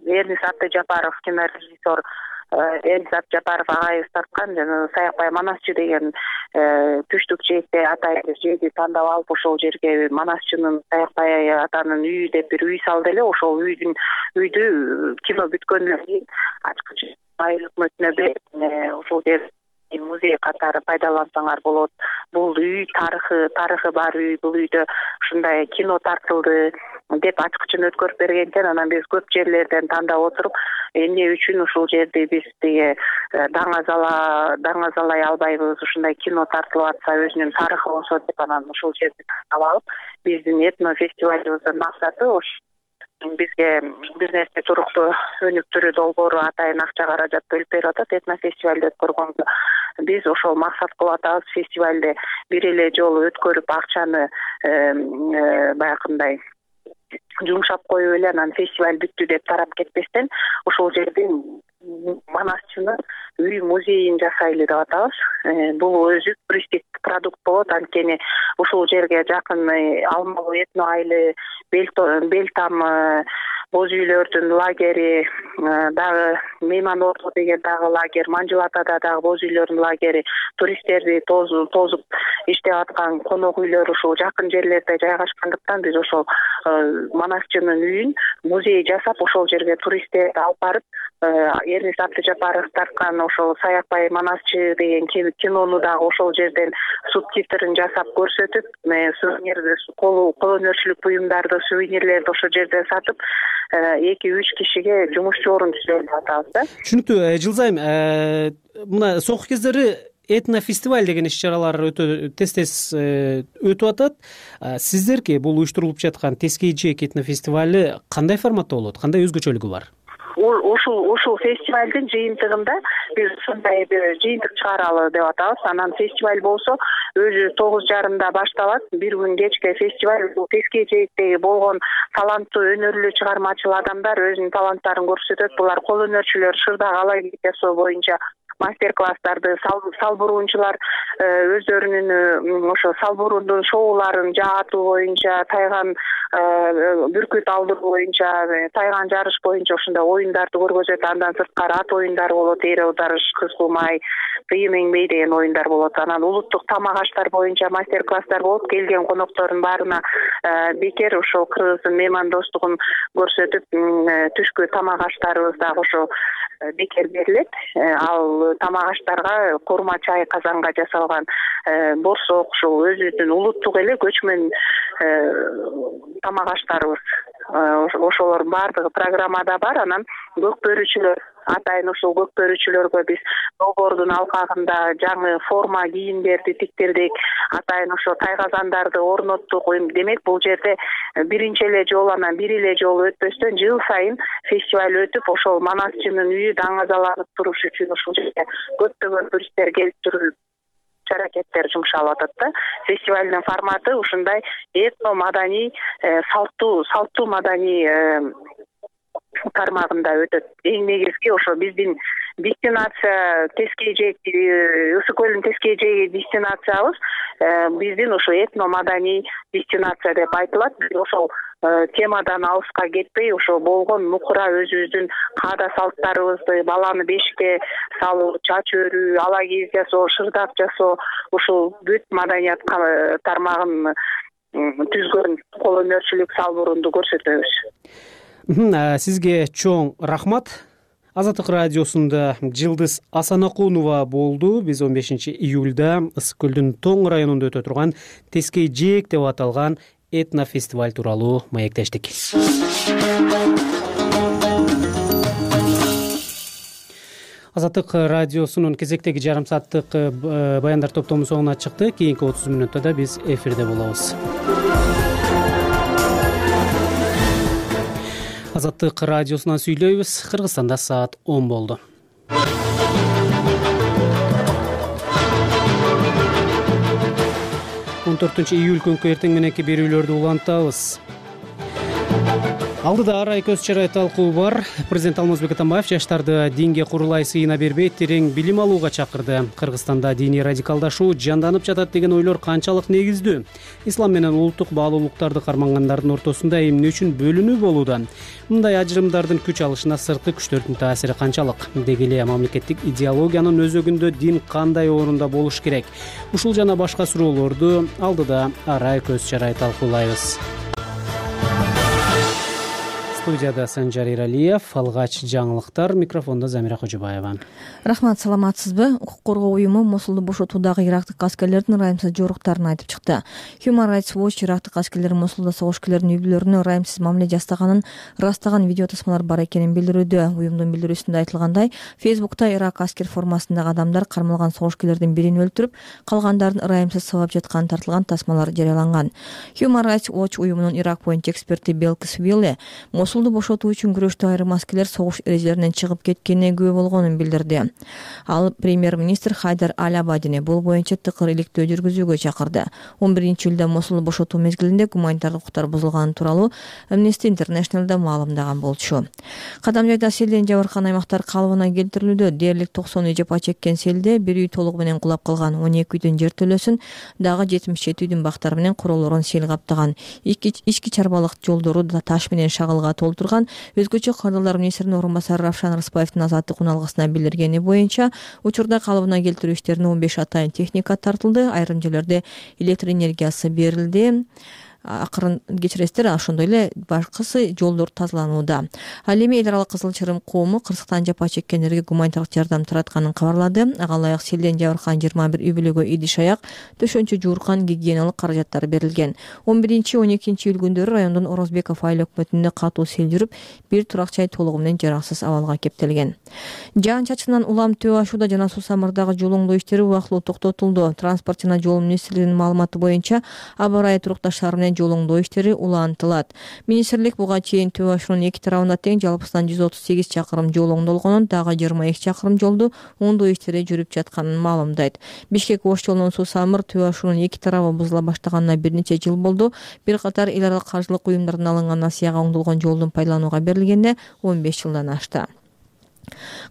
Эрнис Атыжапаров кинорежиссер Эрнис Атыжапаров агайыбыз тарткан Саякбай Манасчы деген түштүк жээкте атайын жерди тандап алып, ошол жерге Манасчынын Саякбай атанын үйү деп бир үй салды эле. Ошол үйдү кино бүткөндөн кийин ачкыч айыл өкмөтүнө берип ошол жер музей катары пайдалансаңар болот. Бул үй тарыхы бар үй. Бул үйдө ушундай кино тартылды деп ачкычын өткөрүп бергенден анан биз көп жерлерден тандап отуруп, эмне үчүн ушул жерди биз тиги даңазалай албайбыз, ушундай кино тартылып атса өзүнүн тарыхы болсо деп анан ушул жерди тандап алып, биздин этно фестивалыбыздын максаты бизге бизнести туруктуу өнүктүрүү долбоору атайын акча каражат бөлүп берип атат. Этно фестивалды өткөргөнгө биз ошол максат кылып атабыз. Фестивалды бир эле жолу өткөрүп акчаны баягындай жумшап коюп эле анан фестиваль бүттү деп тарап кетпестен ошол жердин Манасчынын үй музейин жасайлы деп атабыз. Бул өзү туристтик продукт болот. Анткени ушул жерге жакын Алмалуу этно айылы, Белтам боз үйлөрдүн лагери, дагы Мейман Орто деген дагы лагерь, Манжылатада дагы боз үйлөрдүн лагери, туристтерди тозуп иштеп аткан конок үйлөр ушул жакын жерлерде жайгашкандыктан биз ошол Манасчынын үйүн музей жасап, ошол жерге туристтерди алып барып, Эрнис Атыжапаров тарткан ошол Саякбай Манасчы деген кинону дагы ошол жерден субтитрин жасап көрсөтүп, кол өнөрчүлүк буюмдарды, сувенирлерди ошол жерден сатып, 2-3 кишиге жумушчу орун түзөлүп деп атабыз да.
Түшүнүктүү. Жылзайым, мына соңку кездери этно фестиваль деген иш-чаралар өтө тез өтүп атат. Сиздерге бул уюштурулуп жаткан Тескей жээк этно фестивали кандай форматта болот? Кандай өзгөчөлүгү бар?
Ушул фестивалдын жыйынтыгында биз ушундай бир жыйынтык чыгаралы деп атабыз. Анан фестиваль болсо өзү 9:30 башталат. Бир күн кечке фестиваль бул Тескей жээктеги болгон таланттуу өнөрлүү чыгармачыл адамдар өзүнүн таланттарын көрсөтөт. Булар кол өнөрчүлөр шырдак алайгит жасоо боюнча мастер-класстарды, сал буруунчулар өздөрүнүн ошо сал буруундун шоуларын жаатуу боюнча, тайган бүркүт алдыруу боюнча, тайган жарыш боюнча ушундай оюндарды көргөзөт. Андан сырткары ат оюндары болот, эр аударыш, кыз кулмай, кыйым эңбей деген оюндар болот. Анан улуттук тамак аштар боюнча мастер-класстар болуп, келген коноктордун баарына бекер ошол кыргыздын мейман достугун көрсөтүп, түшкү тамак аштарыбыз дагы ошо бекер берилет. Ал тамак аштарга курма чай казанга жасалган борсок, ушул өзүбүздүн улуттук эле көчмөн тамак аштарыбыз. Ошолор баардыгы программада бар. Анан көк бөрүчүлөр, атайын ушул көк бөрүчүлөргө биз долбоордун алкагында жаңы форма кийимдерди тиктирдик. Атайын ошо тайгазандарды орноттук. Демек бул жерде биринчи эле жолу, анан бир эле жолу өтпөстөн жыл сайын фестиваль өтүп, ошол Манасчынын үйү даңазаланып туруш үчүн ушул жерге көптөгөн туристтер келип туруп аракеттер жумшалып атат да. Фестивалдын форматы ушундай этно маданий, салттуу маданий тармагында өтөт. Эң негизги ошо биздин дестинация Тескей жээк, Ысык көлдүн Тескей жээги дестинациябыз биздин ошо этно маданий дестинация деп айтылат. Биз ошол темадан алыска кетпей, ошо болгон нукура өзүбүздүн каада салттарыбызды, баланы бешикке салуу, чач өрүү, ала кийиз жасоо, шырдак жасоо, ушул бүт маданият тармагын түзгөн кол өнөрчүлүк, сал буруунду көрсөтөбүз.
Сизге чоң рахмат. Азаттык радиосунда Жылдыз Асанакунова болду. Биз 15 июлда Ысык көлдүн Тоң районунда өтө турган Тескей Жээк деп аталган этнофестиваль тууралуу маектештик. Азаттык радиосунун кезектеги жарым сааттык баяндар топтому соңуна чыкты. Кийинки 30 мүнөттө да биз эфирде болобуз. Азаттык радиосунан сүйлөйбүз. Кыргызстанда саат 10 болду. 14 июль күнкү эртең мененки берүүлөрдү улантабыз. Алдыда арай көз чарай талкуу бар. Президент Алмазбек Атамбаев жаштарды динге курулай сыйына бербей, терең билим алууга чакырды. Кыргызстанда диний радикалдашуу жанданып жатат деген ойлор канчалык негиздүү? Ислам менен улуттук баалуулуктарды кармангандардын ортосунда эмне үчүн бөлүнүү болууда? Мындай ажырымдардын күч алышына сырткы күчтөрдүн таасири канчалык? Деги эле мамлекеттик идеологиянын өзөгүндө дин кандай орунда болуш керек? Ушул жана башка суроолорду алдыда арай көз чарай талкуулайбыз. Студияда Санжар Иралиев, алгач жаңылыктар, микрофондо Замира Кожобаева.
Рахмат, саламатсызбы? Укук коргоо уюму Мосулду бошотуудагы ирактык аскерлердин ырайымсыз жоруктарын айтып чыкты. Human Rights Watch ирактык аскерлер Мосулда согушкерлердин үй-бүлөлөрүнө ырайымсыз мамиле жасаганын ырастаган видео тасмалар бар экенин билдирүүдө. Уюмдун билдирүүсүндө айтылгандай, Фейсбукта Ирак аскер формасындагы адамдар кармалган согушкерлердин бирин өлтүрүп, калгандарын ырайымсыз сабап жатканы тартылган тасмалар жарыяланган. Human Rights Watch уюмунун Ирак боюнча эксперти Белкис Вилле Мосулду бошотуу үчүн күрөштө айрым аскерлер согуш эрежелеринен чыгып кеткенине күбө болгонун билдирди. Ал премьер-министр Хайдар Аль-Абадини бул боюнча тыкыр иликтөө жүргүзүүгө чакырды. 11 июлда Мосулду бошотуу мезгилинде гуманитардык укуктар бузулганы тууралуу Amnesty International'да маалымдаган болчу. Кадам жайда селден жабыркан аймактар калыбына келтирилүүдө. Дээрлик 90 үй жапа чеккен селде бир үй толугу менен кулап калган, 12 үйдүн жер төлөсүн, дагы 77 үйдүн бактары менен куролорун сел каптаган. Ички чарбалык жолдору да таш менен шагылга толтурган. Өзгөчө кардарлар министринин орун басары Равшан Рыспаевдин азаттык уналгысына билдиргени боюнча учурда калыбына келтирүү иштерине 15 атайын техника тартылды. Айрым жерлерде электр энергиясы берилди. Акырын кечиресиздер, ошондой эле башкысы жолдор тазаланууда. Ал эми эл аралык Кызыл Чырым коому Кыргызстан жапа чеккендерге гуманитардык жардам таратканын кабарлады. Ага ылайык селден жабыркан 21 үй бүлөгө идиш аяк, төшөнчө жууркан, гигиеналык каражаттар берилген. 11-12 июль күндөрү райондун Орозбеков айыл өкмөтүндө катуу сел жүрүп, бир турак жай толугу менен жараксыз абалга кептелген. Жаан чачынан улам төө ашууда жана суу самырдагы жол оңдоо иштери убактылуу токтотулду. Транспорт жана жол министрлигинин маалыматы боюнча аба ырайы турукташтары менен жол оңдоо иштери улантылат. Министрлик буга чейин төө ашуунун эки тарабында тең жалпысынан 138 чакырым жол оңдолгонун, дагы 22 чакырым жолду оңдоо иштери жүрүп жатканын маалымдайт. Бишкек-Ош жолунун суу самыр төө ашуунун эки тарабы бузула баштаганына бир нече жыл болду. Бир катар эл аралык каржылык уюмдардан алынган насыяга оңдолгон жолдун пайдаланууга берилгенине 15 жылдан ашты.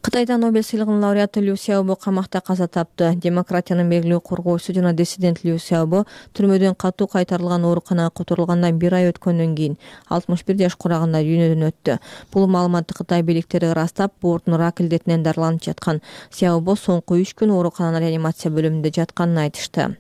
Кытайда Нобель сыйлыгынын лауреаты Лю Сяобо камакта каза тапты. Демократиянын белгилүү коргоочусу жана диссидент Лю Сяобо түрмөдөн катуу кайтарылган ооруканага которулгандан 1 ай өткөндөн кийин 61 жаш курагында дүйнөдөн өттү. Бул маалыматты Кытай бийликтери ырастап, боордун рак илдетинен дарыланып жаткан. Сяобо соңку 3 күн оорукананын реанимация бөлүмүндө жатканын айтышты.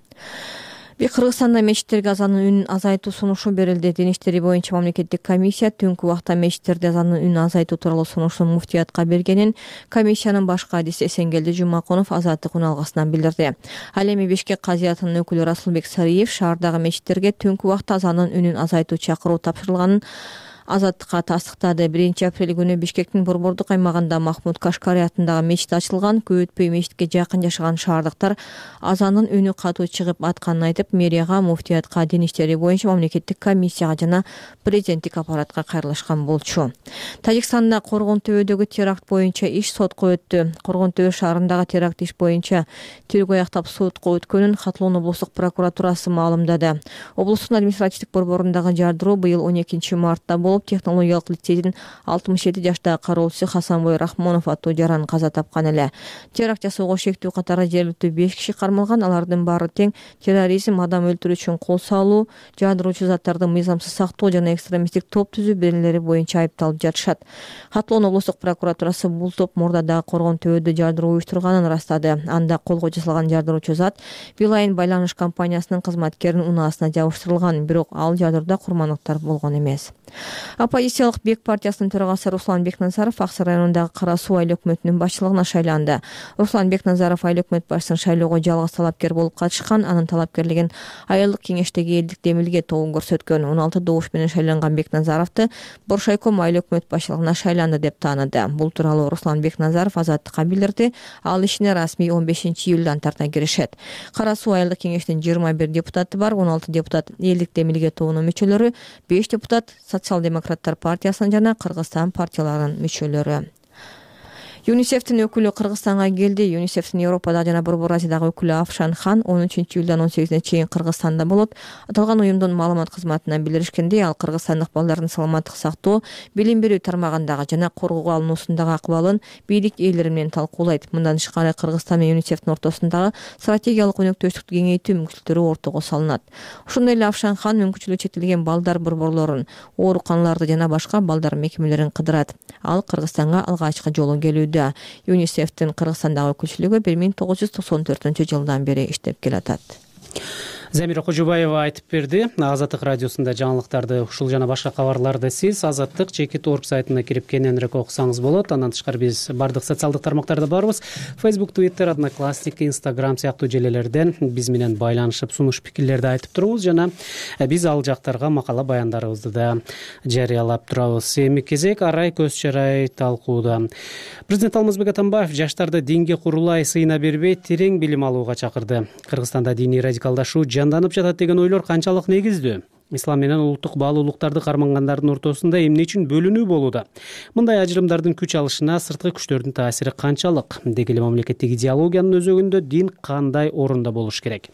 Кыргызстанда мечиттерге азанын үнүн азайтуу сунушу берилди. Дин иштери боюнча мамлекеттик комиссия түнкү убакта мечиттерде азанын үнүн азайтуу тууралуу сунуштун муфтиятка бергенин комиссиянын баш кадиси Эсенгелди Жумаконов азаттык уналгысынан билдирди. Ал эми Бишкек казиятынын өкүлү Расулбек Сариев шаардагы мечиттерге түнкү убакта азанын үнүн азайтуу чакыруу тапшырылганын азаттыкка тастыктады. 1 апрель күнү Бишкектин борбордук аймагында Махмуд Кашкари атындагы мечит ачылган. Көп өтпөй мечитке жакын жашаган шаардыктар азанын үнү катуу чыгып атканын айтып, мэрияга, муфтиятка, дин иштери боюнча мамлекеттик комиссияга жана президенттик аппаратка кайрылышкан болчу. Тажикстанда Коргон төбөдөгү теракт боюнча иш сотко өттү. Коргон төбө шаарындагы теракт иш боюнча тергөө аяктап сотко өткөнүн Хатлоон облустук прокуратурасы маалымдады. Облустун административдик борборундагы жардыруу быйыл 12 мартта технологиялык лицейдин 67 жаштагы кароочусу Хасанбой Рахмонов аттуу жаран каза тапкан эле. Теракт жасоого шектүү катары жергиликтүү 5 киши кармалган. Алардын баары тең терроризм, адам өлтүрүү үчүн кол салуу, жаадыруучу заттарды мыйзамсыз сактоо жана экстремисттик топ түзүү беренелери боюнча айыпталып жатышат. Хатлоон облустук прокуратурасы бул топ мурдадагы Коргон төбөдө жаадыруу уюштурганын ырастады. Анда колго жасалган жаадыруучу зат Билайн байланыш компаниясынын кызматкеринин унаасына жабыштырылган, бирок ал жаадырда курмандыктар болгон эмес. Оппозициялык Бек партиясынын төрагасы Руслан Бекназаров Ак Сарай районундагы Кара Суу айыл өкмөтүнүн башчылыгына шайланды. Руслан Бекназаров айыл өкмөт башчысын шайлоого жалгыз талапкер болуп катышкан. Анын талапкерлигин айылдык кеңештеги элдик демилге тобу көрсөткөн. 16 добуш менен шайланган Бекназаровду Боршайком айыл өкмөт башчылыгына шайланды деп тааныды. Бул тууралуу Руслан Бекназаров Азаттыкка билдирди. Ал ишине расмий 15-июлдан тарта киришет. Кара Суу айылдык кеңештин 21 депутаты бар, 16 депутат элдик демилге тобунун мүчөлөрү, 5 депутат Социал-демократтар партиясынын жана Кыргызстан партияларынын мүчөлөрү. ЮНИСЕФтин өкүлү Кыргызстанга келди. ЮНИСЕФтин Европада жана Борбор Азиядагы өкүлү Афшан Хан 13-июлдан 18-ине чейин Кыргызстанда болот. Аталган уюмдун маалымат кызматынан билдиришкендей, ал кыргызстандык балдардын саламаттык сактоо, билим берүү тармагындагы жана коргоого алынуусундагы акыбалын бийлик ээлери менен талкуулайт. Мындан тышкары Кыргызстан менен ЮНИСЕФтин ортосундагы стратегиялык өнөктөштүктү кеңейтүү мүмкүнчүлүктөрү ортого салынат. Ошондой эле Афшан Хан мүмкүнчүлүгү чектелген балдар борборлорун, ооруканаларды жана башка балдар мекемелерин кыдырат. Ал Кыргызстанга алгачкы жолу келүүдө. ЮНИСЕФтин Кыргызстандагы өкүлчүлүгү 1994-жылдан бери иштеп келатат.
Замира Кожобаева айтып берди. Азаттык радиосунда жаңылыктарды, ушул жана башка кабарларды сиз azattik.org сайтына кирип кененирээк окусаңыз болот. Андан тышкары биз бардык социалдык тармактарда барбыз. Facebook, Twitter, Одноклассник, Instagram сыяктуу желелерден биз менен байланышып, сунуш пикирлерди айтып туруңуз жана биз ал жактарга макала баяндарыбызды да жарыялап турабыз. Эми кезек арай көз чарай талкууда. Президент Алмазбек Атамбаев жаштарды динге курулай сыйына бербей, терең билим алууга чакырды. Кыргызстанда диний радикалдашуу жанданып жатат деген ойлор канчалык негиздүү? Ислам менен улуттук баалуулуктарды кармангандардын ортосунда эмне үчүн бөлүнүү болууда? Мындай ажырымдардын күч алышына сырткы күчтөрдүн таасири канчалык? Деги эле мамлекеттик идеологиянын өзөгүндө дин кандай орунда болуш керек?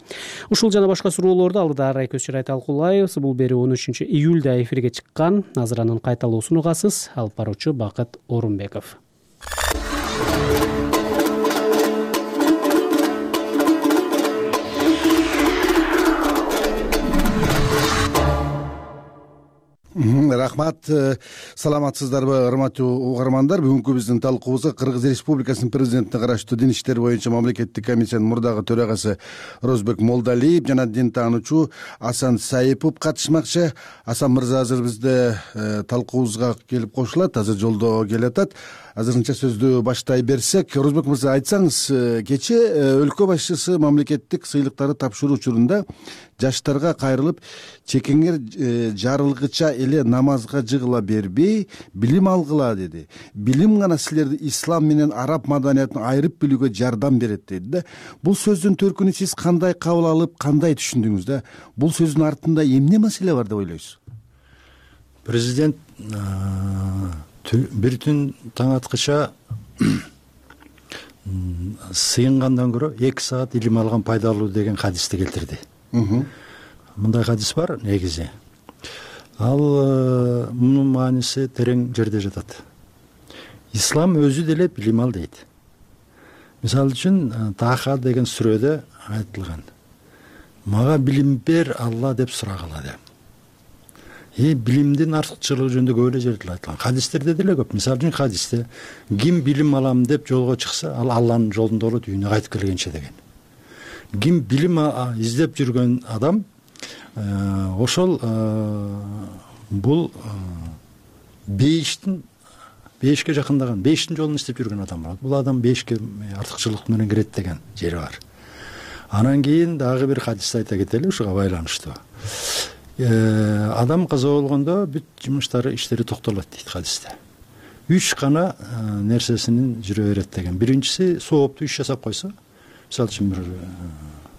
Ушул жана башка суроолорду алдыда арай көз чарай талкуулайбыз. Бул берүү 13-июлда эфирге чыккан. Азыр анын кайталоосун угасыз. Алып баруучу Бакыт Орунбеков.
Рахмат. Саламатсыздарбы, урматтуу угармандар? Бүгүнкү биздин талкуубузга Кыргыз Республикасынын президентине караштуу дин иштери боюнча мамлекеттик комиссиянын мурдагы төрагасы Розбек Молдалиев жана дин таануучу Асан Саипов катышмакчы. Асан мырза азыр бизде талкуубузга келип кошулат, азыр жолдо келатат. Азырынча сөздү баштай берсек, Розбек мырза, айтсаңыз, кечээ өлкө башчысы мамлекеттик сыйлыктарды тапшыруу учурунда жаштарга кайрылып, чекеңер жарылгыча эле намазга жыгыла бербей, билим алгыла деди. Билим гана силерди ислам менен араб маданиятын айырып билүүгө жардам берет деди да. Бул сөздүн төркүнү сиз кандай кабыл алып, кандай түшүндүңүз да? Бул сөздүн артында эмне маселе бар деп ойлойсуз?
Президент бир түн таң аткыча сыйынгандан көрө 2 саат илим алган пайдалуу деген хадисти келтирди. Мындай хадис бар негизи. Ал мунун мааниси терең жерде жатат. Ислам өзү деле билим ал дейт. Мисалы үчүн Таха деген сүрөдө айтылган. Мага билим бер Алла деп сурагыла деп. Билимдин артыкчылыгы жөнүндө көп эле жерде айтылган. Хадистерде деле көп. Мисалы үчүн хадисте ким билим алам деп жолго чыкса, ал Алланын жолунда болот үйүнө кайтып келгенче деген. Ким билим издеп жүргөн адам, ошол бул бейишке жакындаган, бейиштин жолун издеп жүргөн адам болот. Бул адам бейишке артыкчылык менен кирет деген жери бар. Анан кийин дагы бир хадисти айта кетели ушуга байланыштуу. Адам каза болгондо бүт жумуштары, иштери токтолот дейт хадисте. 3 гана нерсесинин жүрө берет деген. Биринчиси сооптуу иш жасап койсо, мисалы үчүн бир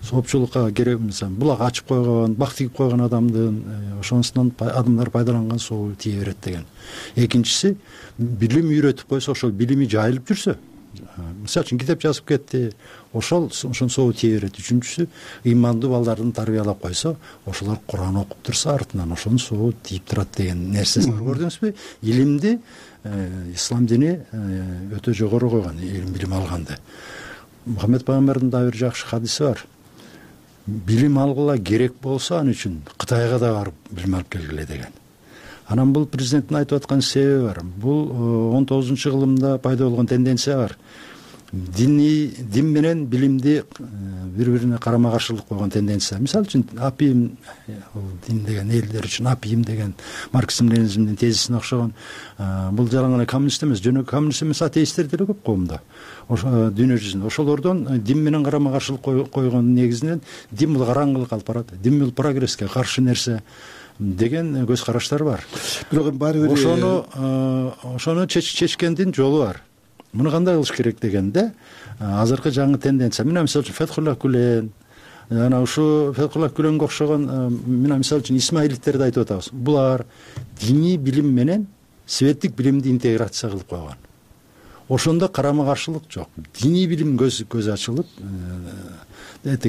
соопчулукка керек, мисалы булак ачып койгон, бак тигип койгон адамдын ошонусунан адамдар пайдаланган соо тие берет деген. Экинчиси билим үйрөтүп койсо, ошол билими жайылып жүрсө, мисалы үчүн китеп жазып кетти, ошол соо тие берет. Үчүнчүсү ыймандуу балдардын тарбиялап койсо, ошолор Куран окуп турса, артынан ошонун соо тийип турат деген нерсеси бар. Көрдүңүзбү? Илимди ислам дини өтө жогору койгон, билим алганды. Мухаммед пайгамбардын да бир жакшы хадиси бар. Билим алгыла керек болсо, ал үчүн Кытайга да барып билим алып келгиле деген. Анан бул президенттин айтып аткан себеби бар. Бул 19-кылымда пайда болгон тенденция бар. дин менен билимди бири бирине карама каршылык койгон тенденция. Мисалы үчүн апиим, дин деген элдер үчүн апиим деген марксизм ленинизмдин тезисине окшогон. Бул жалаң эле коммунист эмес, жөнөкөй коммунист эмес атеисттер деле көп коомдо, дүйнө жүзүндө. Ошолордон дин менен карама каршылык койгон негизинен дин бул караңгылык алып барат, дин бул прогресске каршы нерсе деген көз караштар бар.
Бирок баары бир
ошону чечкендин жолу бар. Муну кандай кылыш керек дегенде, азыркы жаңы тенденция. Мына мисалы үчүн Фетхулла Гүлен, жана ушу Фетхулла Гүленге окшогон мына мисалы үчүн Исмаилиттерди айтып атабыз. Булар диний билим менен светтик билимди интеграция кылып койгон. Ошондо карама каршылык жок. Диний билим көз ачылып,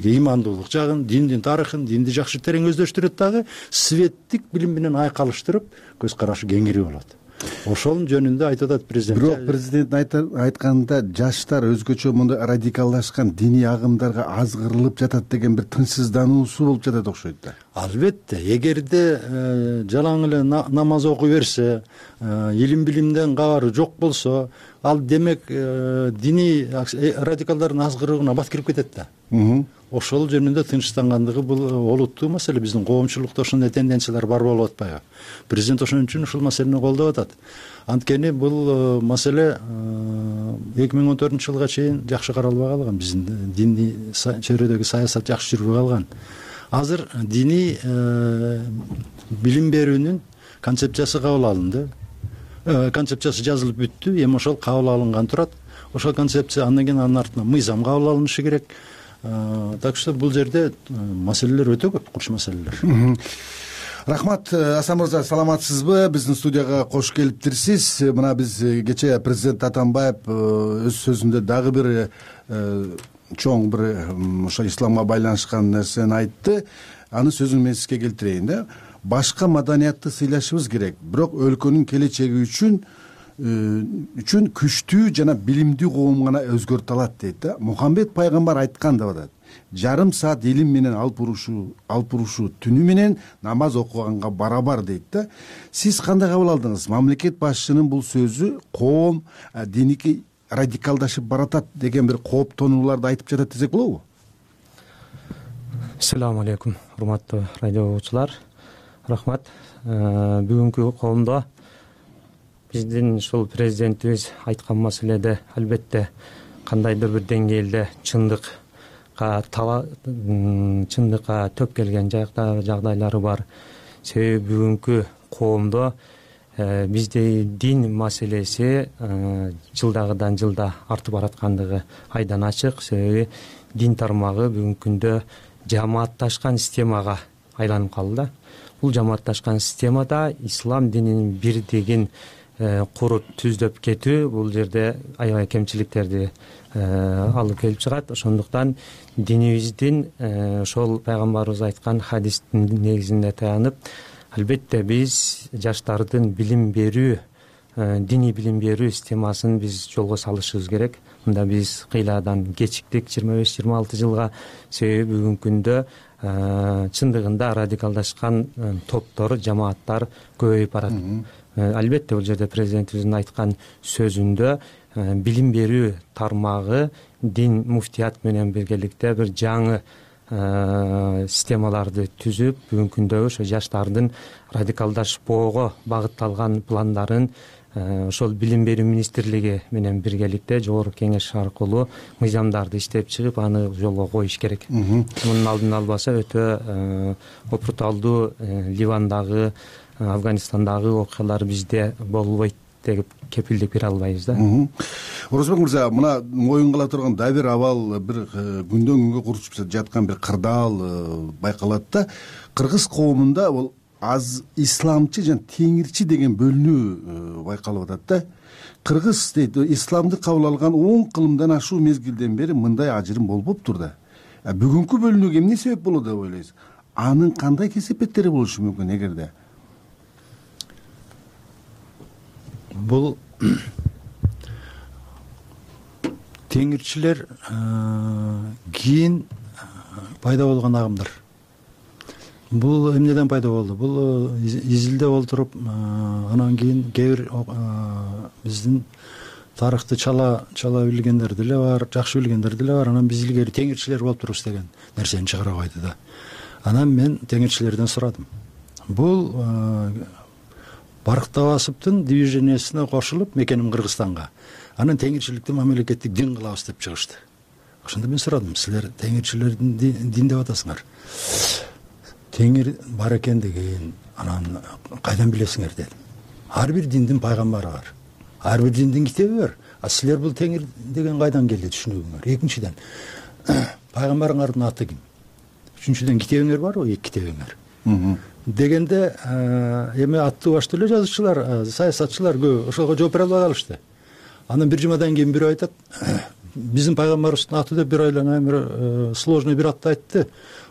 имандуулук жагын, диндин тарыхын, динди жакшы терең өздөштүрөт дагы, светтик билим менен айкалыштырып, көз карашы кеңири болот. Ошонун жөнүндө айтып атат президент.
Бирок президент айтканда жаштар өзгөчө мындай радикалдашкан диний агымдарга азгырылып жатат деген бир тынчсыздануусу болуп жатат окшойт да.
Албетте, эгерде жалаң эле намаз окуй берсе, илим билимден кабары жок болсо, ал демек диний радикалдардын азгырууна бат кирип кетет да. Ошол жөнүндө тынчсыздангандыгы бул олуттуу маселе. Биздин коомчулукта ошондой тенденциялар бар болуп атпайбы? Президент ошон үчүн ушул маселени колдоп атат. Анткени бул маселе 2014-жылга чейин жакшы каралбай калган. Биздин диний чөйрөдөгү саясат жакшы жүрбөй калган. Азыр диний билим берүүнүн концепциясы кабыл алынды. Концепциясы жазылып бүттү. Эми ошол кабыл алынган турат. Ошол концепция андан кийин анын артынан мыйзам кабыл алынышы керек. Так что бул жерде маселелер өтө көп, курч маселелер.
Рахмат, Асан мырза, саламатсызбы? Биздин студияга кош келиптирсиз. Мына биз кечээ президент Атамбаев өз сөзүндө дагы бир чоң бир ошо исламга байланышкан нерсени айтты. Аны сөзүн мен сизге келтирейин да. Башка маданиятты сыйлашыбыз керек, бирок өлкөнүн келечеги үчүн күчтүү жана билимдүү коом гана өзгөртө алат дейт да. Мухаммед пайгамбар айткан деп атат. Жарым саат илим менен алып урушу түнү менен намаз окуганга барабар дейт да. Сиз кандай кабыл алдыңыз? Мамлекет башчынын бул сөзү коом диники радикалдашып баратат деген бир кооптонууларды айтып жатат десек болобу?
Ассаламу алейкум, урматтуу радио угуучулар. Рахмат. Бүгүнкү коомдо биздин ушул президентибиз айткан маселеде албетте кандайдыр бир деңгээлде чындыкка төп келген жагдайлары бар. Себеби бүгүнкү коомдо бизде дин маселеси жылдагыдан жылда артып бараткандыгы айдан ачык. Себеби дин тармагы бүгүнкү күндө жамаатташкан системага айланып калды. Бул жамаатташкан системада ислам динин бирдигин куруп түздөп кетүү бул жерде аябай кемчиликтерди алып келип чыгат. Ошондуктан динибиздин ошол пайгамбарыбыз айткан хадистин негизинде таянып, албетте биз жаштардын билим берүү, диний билим берүү системасын биз жолго салышыбыз керек. Мында биз кыйладан кечиктик 25-26 жылга. Себеби бүгүнкү күндө чындыгында радикалдашкан топтор, жамааттар көбөйүп барат. Албетте бул жерде президентибиздин айткан сөзүндө билим берүү тармагы дин муфтият менен биргеликте бир жаңы системаларды түзүп, бүгүнкү күндөгү ошо жаштардын радикалдашпоого багытталган пландарын ошол билим берүү министрлиги менен биргеликте жогорку кеңеш аркылуу мыйзамдарды иштеп чыгып, аны жолго коюш керек. Мунун алдын албаса өтө опурталдуу Ливандагы, Афганистандагы окуялар бизде болбойт деп кепилдик бере албайбыз да.
Орозбек мырза, мына моюн кала турган да бир абал, бир күндөн күнгө курчуп жаткан бир кырдаал байкалат да. Кыргыз коомунда бул аз исламчы жана теңирчи деген бөлүнүү байкалып атат да. Кыргыз дейт, исламды кабыл алган 10 кылымдан ашуу мезгилден бери мындай ажырым болбоптур да. Бүгүнкү бөлүнүүгө эмне себеп болот деп ойлойсуз? Анын кандай кесепеттери болушу мүмкүн эгерде?
Бул теңирчилер кийин пайда болгон агымдар. Бул эмнеден пайда болду? Бул изилдеп олтуруп, анан кийин кээ бир биздин тарыхты чала билгендер деле бар, жакшы билгендер деле бар. Анан биз илгери теңирчилер болуп турбуз деген нерсени чыгара койду да. Анан мен теңирчилерден сурадым. Бул Барктабасовдун движениясына кошулуп, мекеним Кыргызстанга. Анан теңирчиликти мамлекеттик дин кылабыз деп чыгышты. Ошондо мен сурадым, силер теңирчилердин дин деп атасыңар. Теңир бар экен деген, анан кайдан билесиңер дедим. Ар бир диндин пайгамбары бар. Ар бир диндин китеби бар. А силер бул теңир деген кайдан келди түшүнүгүңөр? Экинчиден, пайгамбарыңардын аты ким? Үчүнчүдөн, китебиңер барбы? Эки китебиңер. Дегенде эми аттуу баштуу эле жазуучулар, саясатчылар көп ошого жооп бере албай калышты. Анан бир жумадан кийин бирөө айтат, биздин пайгамбарыбыздын аты деп бир ойлоно бир сложный бир атты айтты.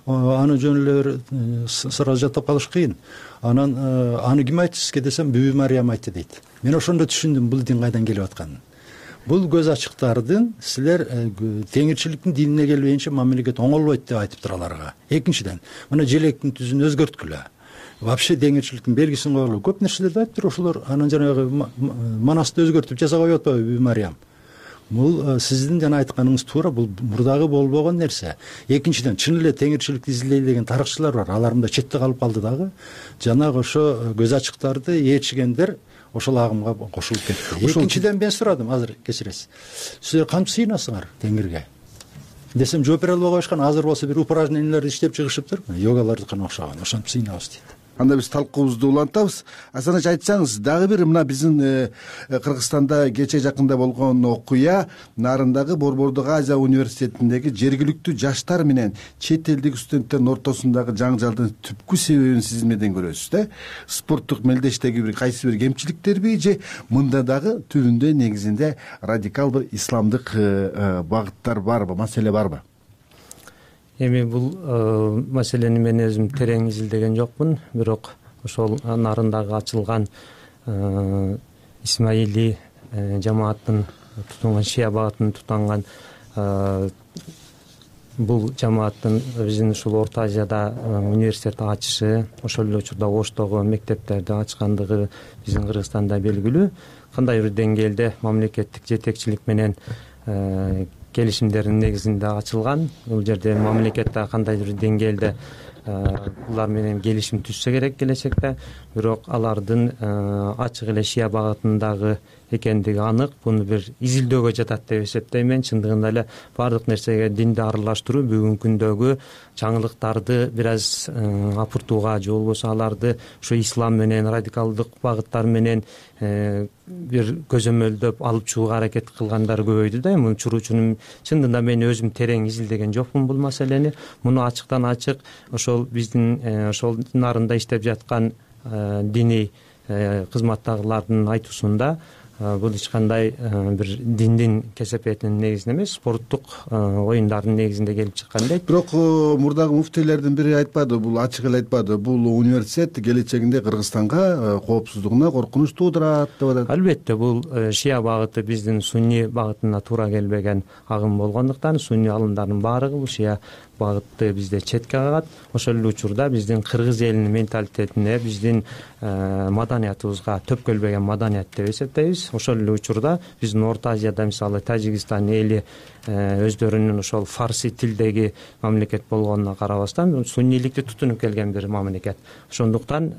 Аны жөн эле сразу жаттап калыш кыйын. Анан аны ким айтты сизге десем, Бүбү Мариям айтты дейт. Мен ошондо түшүндүм бул дин кайдан келип атканын. Бул көз ачыктардын силер теңирчиликтин динине келбейинче мамлекет оңолбойт деп айтып тураларга. Экинчиден, мына желектин түзүн өзгөрткүлө. Вообще теңирчиликтин белгисин койгула. Көп нерселерди айтыптыр ошолор. Анан жанагы манасты өзгөртүп жасап коюп атпайбы Бүбү Мариям? Бул сиздин жана айтканыңыз туура, бул мурдагы болбогон нерсе. Экинчиден, чын эле теңирчиликти изилдей деген тарыхчылар бар. Алар мында четте калып калды дагы. Жанагы ошо көз ачыктарды ээрчигендер ошол агымга кошулуп кетти. Экинчиден мен сурадым, азыр кечиресиз. Силер кантип сыйынасыңар теңирге? Десем, жооп бере албай коюшкан. Азыр болсо бир упражненияларды иштеп чыгышыптыр. Йогалардыкына окшогон. Ошентип сыйынабыз дейт.
Анда биз талкуубузду улантабыз. Асаныч, айтсаңыз, дагы бир мына биздин Кыргызстанда кече жакында болгон окуя нарындагы Борбордук Азия университетиндеги жергиликтүү жаштар менен чет элдик студенттердин ортосундагы жаңжалдын түпкү себебин сиз эмнеден көрөсүз да? Спорттук мелдештеги бир кайсы бир кемчиликтерби же мында дагы түбүндө негизинде радикал бир исламдык багыттар барбы, маселе барбы?
Эми бул маселени мен өзүм терең изилдеген жокмун, бирок ошол нарындагы ачылган Исмаили жамааттын тутунган, шия багытын тутанган бул жамааттын биздин ушул Орто Азияда университет ачышы, ошол эле учурда Оштогу мектептерди ачкандыгы биздин Кыргызстанда белгилүү. Кандай бир деңгээлде мамлекеттик жетекчилик менен келишимдердин негизинде ачылган. Бул жерде мамлекетте кандайдыр бир деңгээлде булар менен келишим түзсө керек келечекте, бирок алардын ачык эле шия багытындагы экендиги анык. Буну бир изилдөөгө жатат деп эсептейм мен. Чындыгында эле баардык нерсеге динди аралаштыруу бүгүнкү күндөгү жаңылыктарды бир аз апыртууга же болбосо аларды ушу ислам менен, радикалдык багыттар менен бир көзөмөлдөп алып чыгууга аракет кылгандар көбөйдү да. Муну чуруучунун чындыгында мен өзүм терең изилдеген жокмун бул маселени. Муну ачыктан ачык ошол биздин ошол нарында иштеп жаткан диний кызматтагылардын айтуусунда бул эч кандай бир диндин кесепетинин негизинде эмес, спорттук оюндардын негизинде келип чыккан дейт.
Бирок мурдагы муфтийлердин бири айтпады, бул ачык эле айтпады, бул университет келечегинде Кыргызстанга коопсуздугуна коркунуч туудурат деп атат.
Албетте, бул шия багыты биздин сунни багытына туура келбеген агым болгондуктан сунни алымдардын баардыгы бул шия багытты бизде четке кагат. Ошол эле учурда биздин кыргыз элинин менталитетине, биздин маданиятыбызга төпкөлбөгөн маданият деп эсептейбиз. Ошол эле учурда биздин Орто Азияда мисалы Тажикстан эли өздөрүнүн ошол фарси тилдеги мамлекет болгонуна карабастан сунниликти тутунуп келген бир мамлекет. Ошондуктан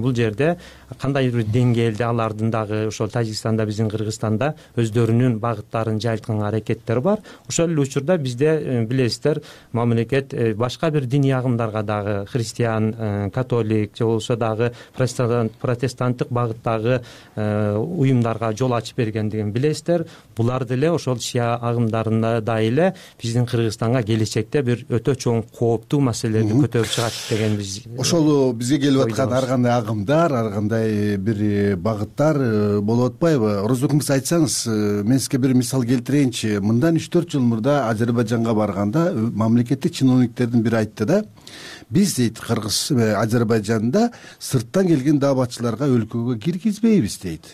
бул жерде кандай бир деңгээлде алардын дагы ошол Тажикстанда, биздин Кыргызстанда өздөрүнүн багыттарын жайылткан аракеттер бар. Ошол эле учурда бизде билесиздер, мамлекет башка бир диний агымдарга дагы христиан, католик же болбосо дагы протестанттык багыттагы уюмдарга жол ачып бергендигин билесиздер. Булар деле ошол шия агымдарына да эле биздин Кыргызстанга келечекте бир өтө чоң кооптуу маселелерди көтөрүп чыгат деген биз
ошол бизге келип аткан ар кандай агымдар, ар кандай бир багыттар болуп атпайбы? Орозбек мырза, айтсаңыз, мен сизге бир мисал келтирейинчи. Мындан 3-4 жыл мурда Азербайжанга барганда мамлекеттик чиновниктердин бири айтты да, биз дейт Кыргыз Азербайжанда сырттан келген дааватчыларга өлкөгө киргизбейбиз дейт.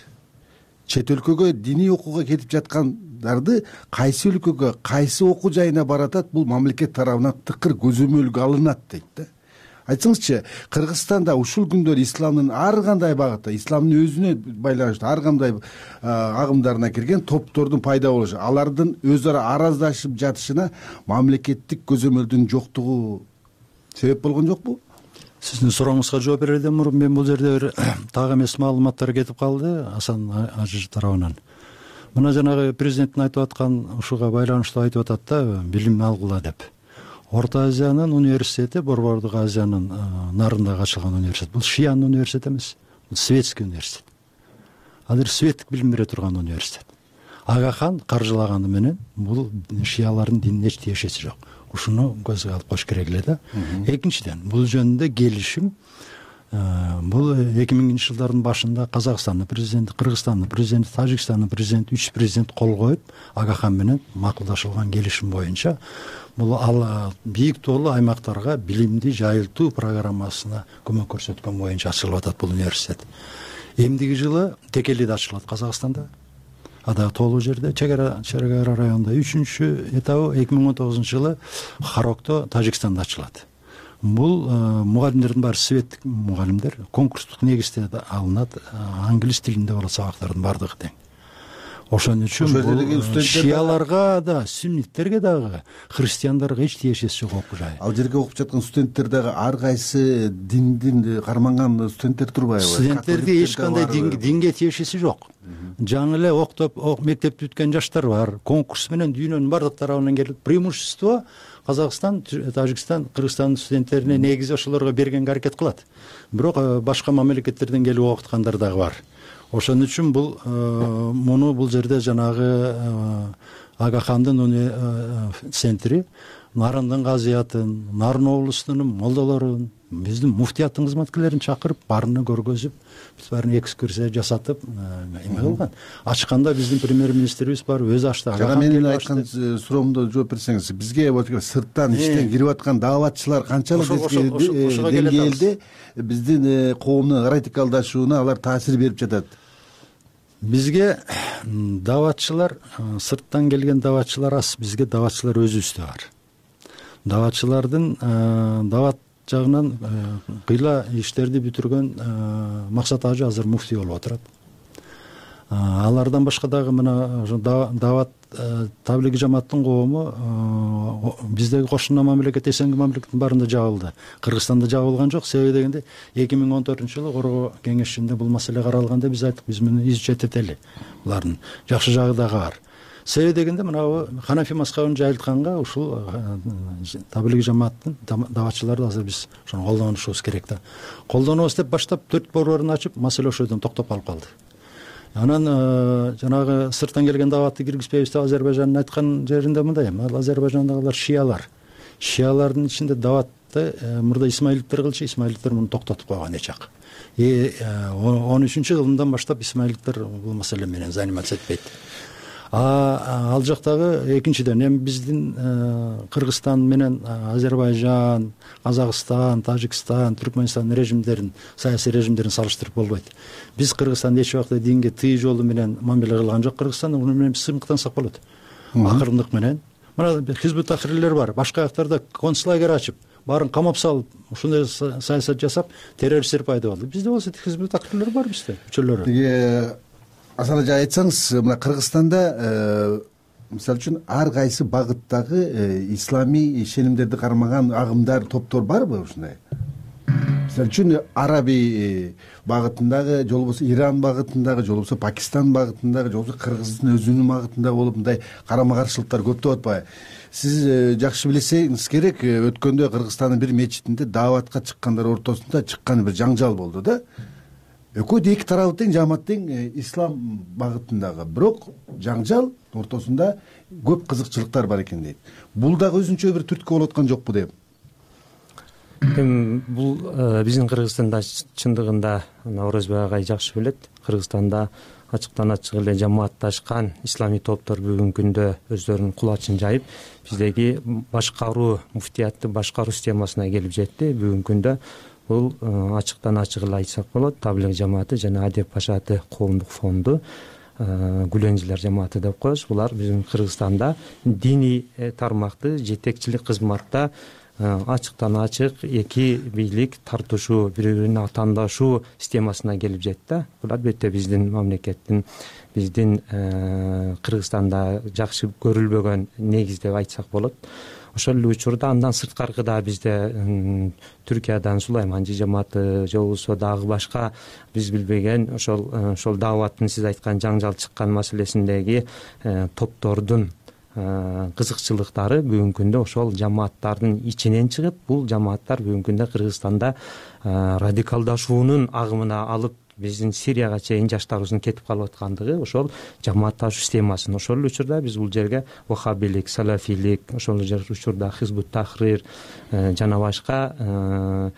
Чет өлкөгө диний окууга кетип жаткандарды кайсы өлкөгө, кайсы окуу жайына баратат, бул мамлекет тарабынан тыкыр көзөмөлгө алынат дейт да. айтсаңызчы, Кыргызстанда ушул күндөр исламдын ар кандай багытта, исламдын өзүнө байланыштуу ар кандай агымдарына кирген топтордун пайда болушу, алардын өз ара араздашып жатышына мамлекеттик көзөмөлдүн жоктугу себеп болгон жокпу?
Сиздин сурооңузга жооп берерден мурун мен бул жерде бир так эмес маалыматтар кетип калды Асан Ажы тарабынан. Мына жанагы президенттин айтып аткан ушуга байланыштуу айтып атат да, билим алгыла деп. Орто Азиянын университети, Борбордук Азиянын нарындагы ачылган университет. Бул шиянын университети эмес, бул светский университет. Азыр светтик билим бере турган университет. Ага хан каржылаганы менен бул шиялардын динин эч тиешеси жок. Ушуну көзгө алып коюш керек эле да. Экинчиден, бул жөнүндө келишим бул 2000-жылдардын башында Казакстандын президенти, Кыргызстандын президенти, Тажикстандын президенти, 3 президент кол коюп, Ага хан менен макулдашылган келишим боюнча бул ал бийик тоолуу аймактарга билимди жайылтуу программасына көмөк көрсөткөн боюнча ачылып атат бул университет. Эмдиги жылы Текелиде ачылат, Казакстанда. Ада тоолуу жерде, чек ара районунда 3-чү этабы 2019-жылы Харокто, Тажикстанда ачылат. Бул мугалимдердин баары светтик мугалимдер, конкурстук негизде алынат, англис тилинде болот сабактардын бардыгы тең. Ошон үчүн шияларга да, сүнниттерге дагы, христиандарга эч тиешеси жок окуу жай.
Ал жерге окуп жаткан студенттер дагы ар кайсы диндин карманган студенттер турбайбы?
Студенттерде эч кандай динге тиешеси жок. Жаңы эле октоп, мектепти бүткөн жаштар бар. Конкурс менен дүйнөнүн бардык тарабынан келип, преимущество Казакстан, Тажикстан, Кыргызстандын студенттерине негизи ошолорго бергенге аракет кылат. Бирок башка мамлекеттерден келип окуткандар дагы бар. Ошон үчүн бул жерде жанагы Ага хандын центри Нарындын казыятын, Нарын облусунун молдолорун, биздин муфтияттын кызматкерлерин чакырып, баарына көргөзүп, биз баарына экскурсия жасатып, эме кылган. Ачканда биздин премьер-министрибиз бар, өзү ачты.
Жана менин айткан суроомдо жооп берсеңиз, бизге сырттан иштен кирип аткан дааватчылар канчалык деңгээлде биздин коомдун радикалдашууна алар таасир берип жатат?
Бизге дааватчылар, сырттан келген дааватчылар аз, бизге дааватчылар өзүбүздө бар. Дааватчылардын даават жагынан кыйла иштерди бүтүргөн Максат Ажы азыр муфтий болуп отурат. Алардан башка дагы мына даават таблиги жамааттын коому биздеги кошуна мамлекет, эсенги мамлекеттин баарында жабылды. Кыргызстанда жабылган жок. Себеби дегенде 2014-жылы Коргоо кеңешинде бул маселе каралганда биз айттык, биз муну изучать этели. Булардын жакшы жагы дагы бар. Себеби дегенде мына Ханафи мазхабын жайылтканга ушул таблиги жамааттын дааватчыларды азыр биз ошону колдонушубуз керек да. Колдонобуз деп баштап 4 борборун ачып, маселе ошол жерден токтоп калып калды. Анан жанагы сырттан келген дааватты киргизбейбиз деп Азербайжандын айткан жеринде мындай, ал Азербайжандагылар шиялар. Шиялардын ичинде дааватты мурда исмаилиттер кылчу, исмаилиттер муну токтотуп койгон эчак. 13-жылдан баштап исмаилиттер бул маселе менен заниматься этпейт. Ал жактагы экинчиден эми биздин Кыргызстан менен Азербайжан, Казакстан, Тажикстан, Түркмөнстан режимдерин, саясий режимдерин салыштырып болбойт. Биз Кыргызстанда эч убакта динге тый жолу менен мамиле кылган жок. Кыргызстан уну менен сыймыктансак болот. Акырындык менен. Мына хизбут тахрирлер бар. Башка жактарда концлагер ачып, баарын камап салып, ушундай саясат жасап, террористтер пайда болду. Бизде болсо хизбут тахрирлер бар бизде, мүчөлөрү.
Асан Ажы, айтсаңыз, мына Кыргызстанда мисалы үчүн ар кайсы багыттагы исламий ишенимдерди кармаган агымдар, топтор барбы ушундай? Мисалы үчүн Араби багытындагы, же болбосо Иран багытындагы, же болбосо Пакистан багытындагы, же болбосо Кыргыздын өзүнүн багытындагы болуп мындай карама-каршылыктар көптөп атпайбы? Сиз жакшы билсеңиз керек, өткөндө Кыргызстандын бир мечитинде дааватка чыккандар ортосунда чыккан бир жаңжал болду да. Экөө эки тарабы тең, жамаат тең ислам багытындагы. Бирок жаңжал ортосунда көп кызыкчылыктар бар экен дейт. Бул дагы өзүнчө бир түрткү болуп аткан жокпу деп?
Бул биздин Кыргызстанда чындыгында Орозбек агай жакшы билет. Кыргызстанда ачыктан ачык эле жамаатташкан исламий топтор бүгүнкү күндө өздөрүнүн кулачын жайып, биздеги башкаруу, муфтиятты башкаруу системасына келип жетти. Бүгүнкү күндө бул ачыктан ачык эле айтсак болот, таблиг жамааты жана Адеп Пашаты коомдук фонду, Гүленжилер жамааты деп коебуз. Булар биздин Кыргызстанда диний тармакты жетекчилик кызматта ачыктан ачык эки бийлик тартышуу, бири бирине атаандашуу системасына келип жетти. Бул албетте биздин мамлекеттин, биздин Кыргызстанда жакшы көрүлбөгөн негиз деп айтсак болот. Ошол эле учурда андан сырткары да бизде Түркиядан Сулайман жамааты же болбосо дагы башка биз билбеген ошол дааваттын сиз айткан жаңжал чыккан маселесиндеги топтордун кызыкчылыктары бүгүнкү күндө ошол жамааттардын ичинен чыгып, бул жамааттар бүгүнкү күндө Кыргызстанда радикалдашуунун агымына алып биздин Сирияга чейин жаштарыбыздын кетип калып аткандыгы ошол жамаатташуу системасын. Ошол эле учурда биз бул жерге вахабилик, салафилик, ошол эле учурда Хизбут Тахрир жана башка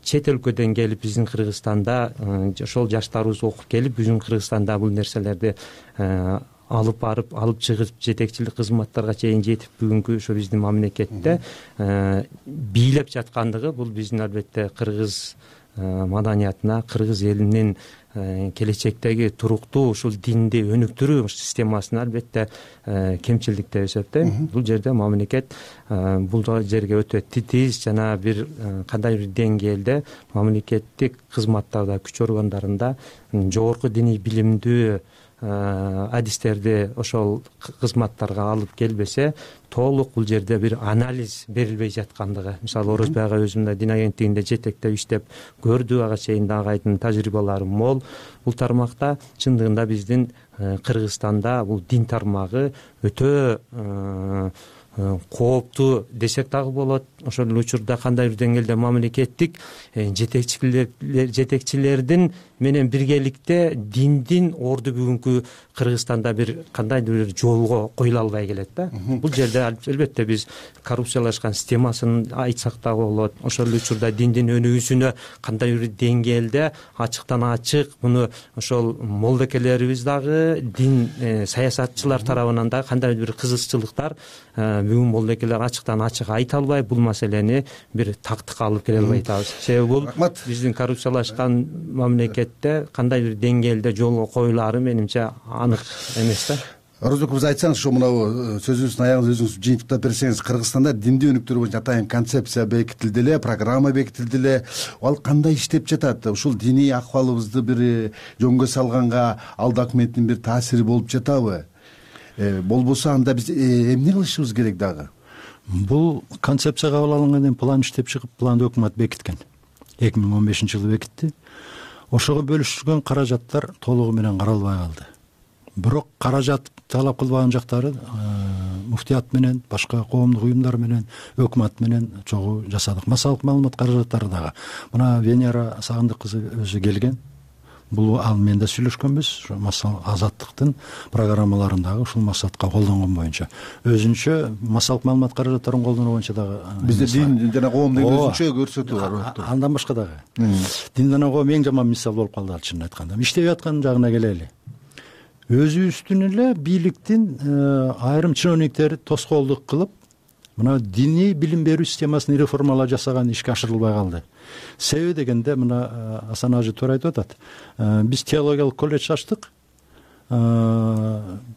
чет өлкөдөн келип биздин Кыргызстанда ошол жаштарыбыз окуп келип биздин Кыргызстанда бул нерселерди алып барып, алып чыгып жетекчилик кызматтарга чейин жетип бүгүнкү ошо биздин мамлекетте бийлеп жаткандыгы бул биздин албетте кыргыз маданиятына, кыргыз элинин келечектеги туруктуу ушул динди өнүктүрүү системасына албетте кемчилдик деп эсептейм. Бул жерде мамлекет бул жерге өтө титиз жана бир кандай бир деңгээлде мамлекеттик кызматтарда, күч органдарында жогорку диний билимдүү адистерди ошол кызматтарга алып келбесе, толук бул жерде бир анализ берилбей жаткандыгы. Мисалы Орозбек ага өзүм дин агенттигинде жетектеп иштеп көрдү, ага чейин дагы айдын тажрыйбалары мол. Бул тармакта чындыгында биздин Кыргызстанда бул дин тармагы өтө кооптуу десек дагы болот. Ошол эле учурда кандай бир деңгээлде мамлекеттик жетекчилердин менен биргеликте диндин орду бүгүнкү Кыргызстанда бир кандайдыр бир жолго коюла албай келет да. Бул жерде албетте биз коррупциялашкан системасын айтсак дагы болот. Ошол эле учурда диндин өнүгүүсүнө кандай бир деңгээлде ачыктан ачык муну ошол молдокелерибиз дагы дин саясатчылар тарабынан да кандай бир кызыкчылыктар бүгүн молдокелер ачыктан ачык айта албай бул маселени бир тактыкка алып келе албай атабыз. Себеби бул биздин коррупциялашкан мамлекетте кандай бир деңгээлде жолго коюлаары менимче анык эмес да.
Орозбек мырза, айтсаңыз, ошо мынабу сөзүңүздүн аягында өзүңүз жыйынтыктап берсеңиз, Кыргызстанда динди өнүктүрүү боюнча атайын концепция бекитилди эле, программа бекитилди эле. Ал кандай иштеп жатат? Ушул диний акыбалыбызды бир жөнгө салганга ал документтин бир таасири болуп жатабы? Болбосо анда биз эмне кылышыбыз керек дагы?
Бул концепция кабыл алынгандан кийин план иштеп чыгып, планды өкмөт бекиткен. 2015-жылы бекитти. Ошого бөлүшүлгөн каражаттар толугу менен каралбай калды. Бирок каражат талап кылбаган жактары муфтият менен, башка коомдук уюмдар менен, өкмөт менен чогуу жасадык. Массалык маалымат каражаттары дагы. Мына Венера Сагындык кызы өзү келген. Бул ал менен да сүйлөшкөнбүз. Ошо массал азаттыктын программаларындагы ушул максатка колдонгон боюнча. Өзүнчө массалык маалымат каражаттарын колдонуу боюнча дагы
бизде дин жана коом деген өзүнчө көрсөтүү бар.
Андан башка дагы. Дин жана коом эң жаман мисал болуп калды ал чынын айтканда. Иштеп аткан жагына келели. Өзүбүздүн эле бийликтин айрым чиновниктери тоскоолдук кылып, мына диний билим берүү системасын реформалар жасаган ишке ашырылбай калды. Себеби дегенде мына Асан ажы туура айтып атат. Биз теологиялык колледж ачтык.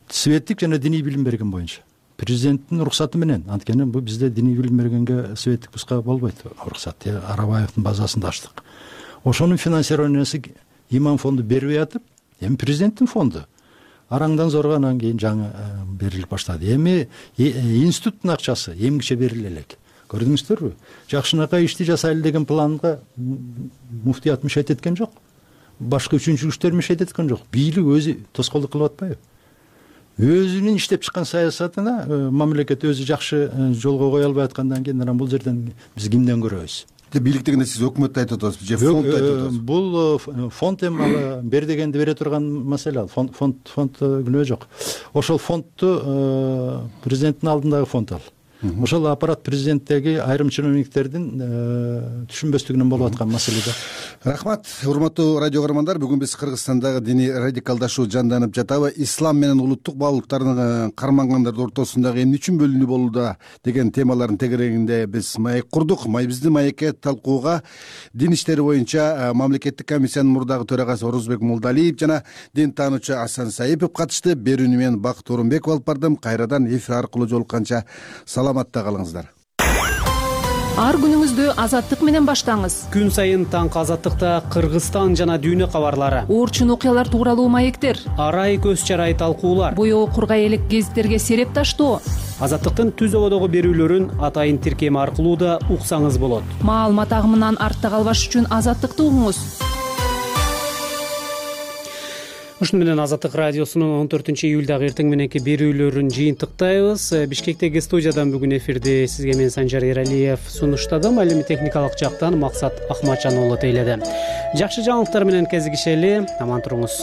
Светтик жана диний билим берген боюнча. Президенттин уруксаты менен. Анткени бул бизде диний билим бергенге светтик буска болбойт. Уруксат Арабаевдин базасында ачтык. Ошонун финансированиясы имам фонду бербей атып, эми президенттин фонду араңдан зорго анан кийин жаңы берилип баштады. Эми институттун акчасы эмгиче бериле элек. Көрдүңүздөрбү? Жакшынакай ишти жасайлы деген планга муфтият мешайт эткен жок. Башка үчүнчү күчтөр мешайт эткен жок. Бийлик өзү тоскоолдук кылып атпайбы? Өзүнүн иштеп чыккан саясатына мамлекет өзү жакшы жолго кое албай аткандан кийин анан бул жерден биз кимден көрөбүз?
Бийлик дегенде сиз өкмөттү айтып атасыз, же фондду айтып атасыз?
Бул фонд эми бер дегенди бере турган маселе ал. Фонд күнөө жок. Ошол фондду президенттин алдындагы фонд ал. Ошол аппарат президенттеги айрым чиновниктердин түшүнбөстүгүнөн болуп аткан маселе да.
Рахмат, урматтуу радио көрөрмандар. Бүгүн биз Кыргызстандагы диний радикалдашуу жанданып жатабы, ислам менен улуттук баалуулуктардын кармангандардын ортосундагы эмне үчүн бөлүнүү болууда деген темалардын тегерегинде биз маек курдук. Биздин маекке талкууга дин иштери боюнча мамлекеттик комиссиянын мурдагы төрагасы Орозбек Молдалиев жана дин таануучу Асан Саипов катышты. Берүүнү мен Бакыт Орунбеков алып бардым. Кайрадан эфир аркылуу жолукканча саламатта калыңыздар.
Ар күнүңүздү Азаттык менен баштаңыз.
Күн сайын таңкы Азаттыкта Кыргызстан жана дүйнө кабарлары,
Орчун окуялар тууралуу маектер,
арай көз чарай талкуулар,
боёо кургай элек гезиттерге сереп таштоо.
Азаттыктын түз ободогу берүүлөрүн атайын тиркем аркылуу да уксаңыз болот.
Маалымат агымынан артта калбаш үчүн Азаттыкты угуңуз.
Ушуну менен Азаттык радиосунун 14-июлдагы эртең мененки берүүлөрүн жыйынтыктайбыз. Бишкектеги студиядан бүгүн эфирди сизге мен Санжар Эралиев сунуштадым. Ал эми техникалык жактан Максат Ахматжан уулу тейледи. Жакшы жаңылыктар менен кезигишели. Аман туруңуз.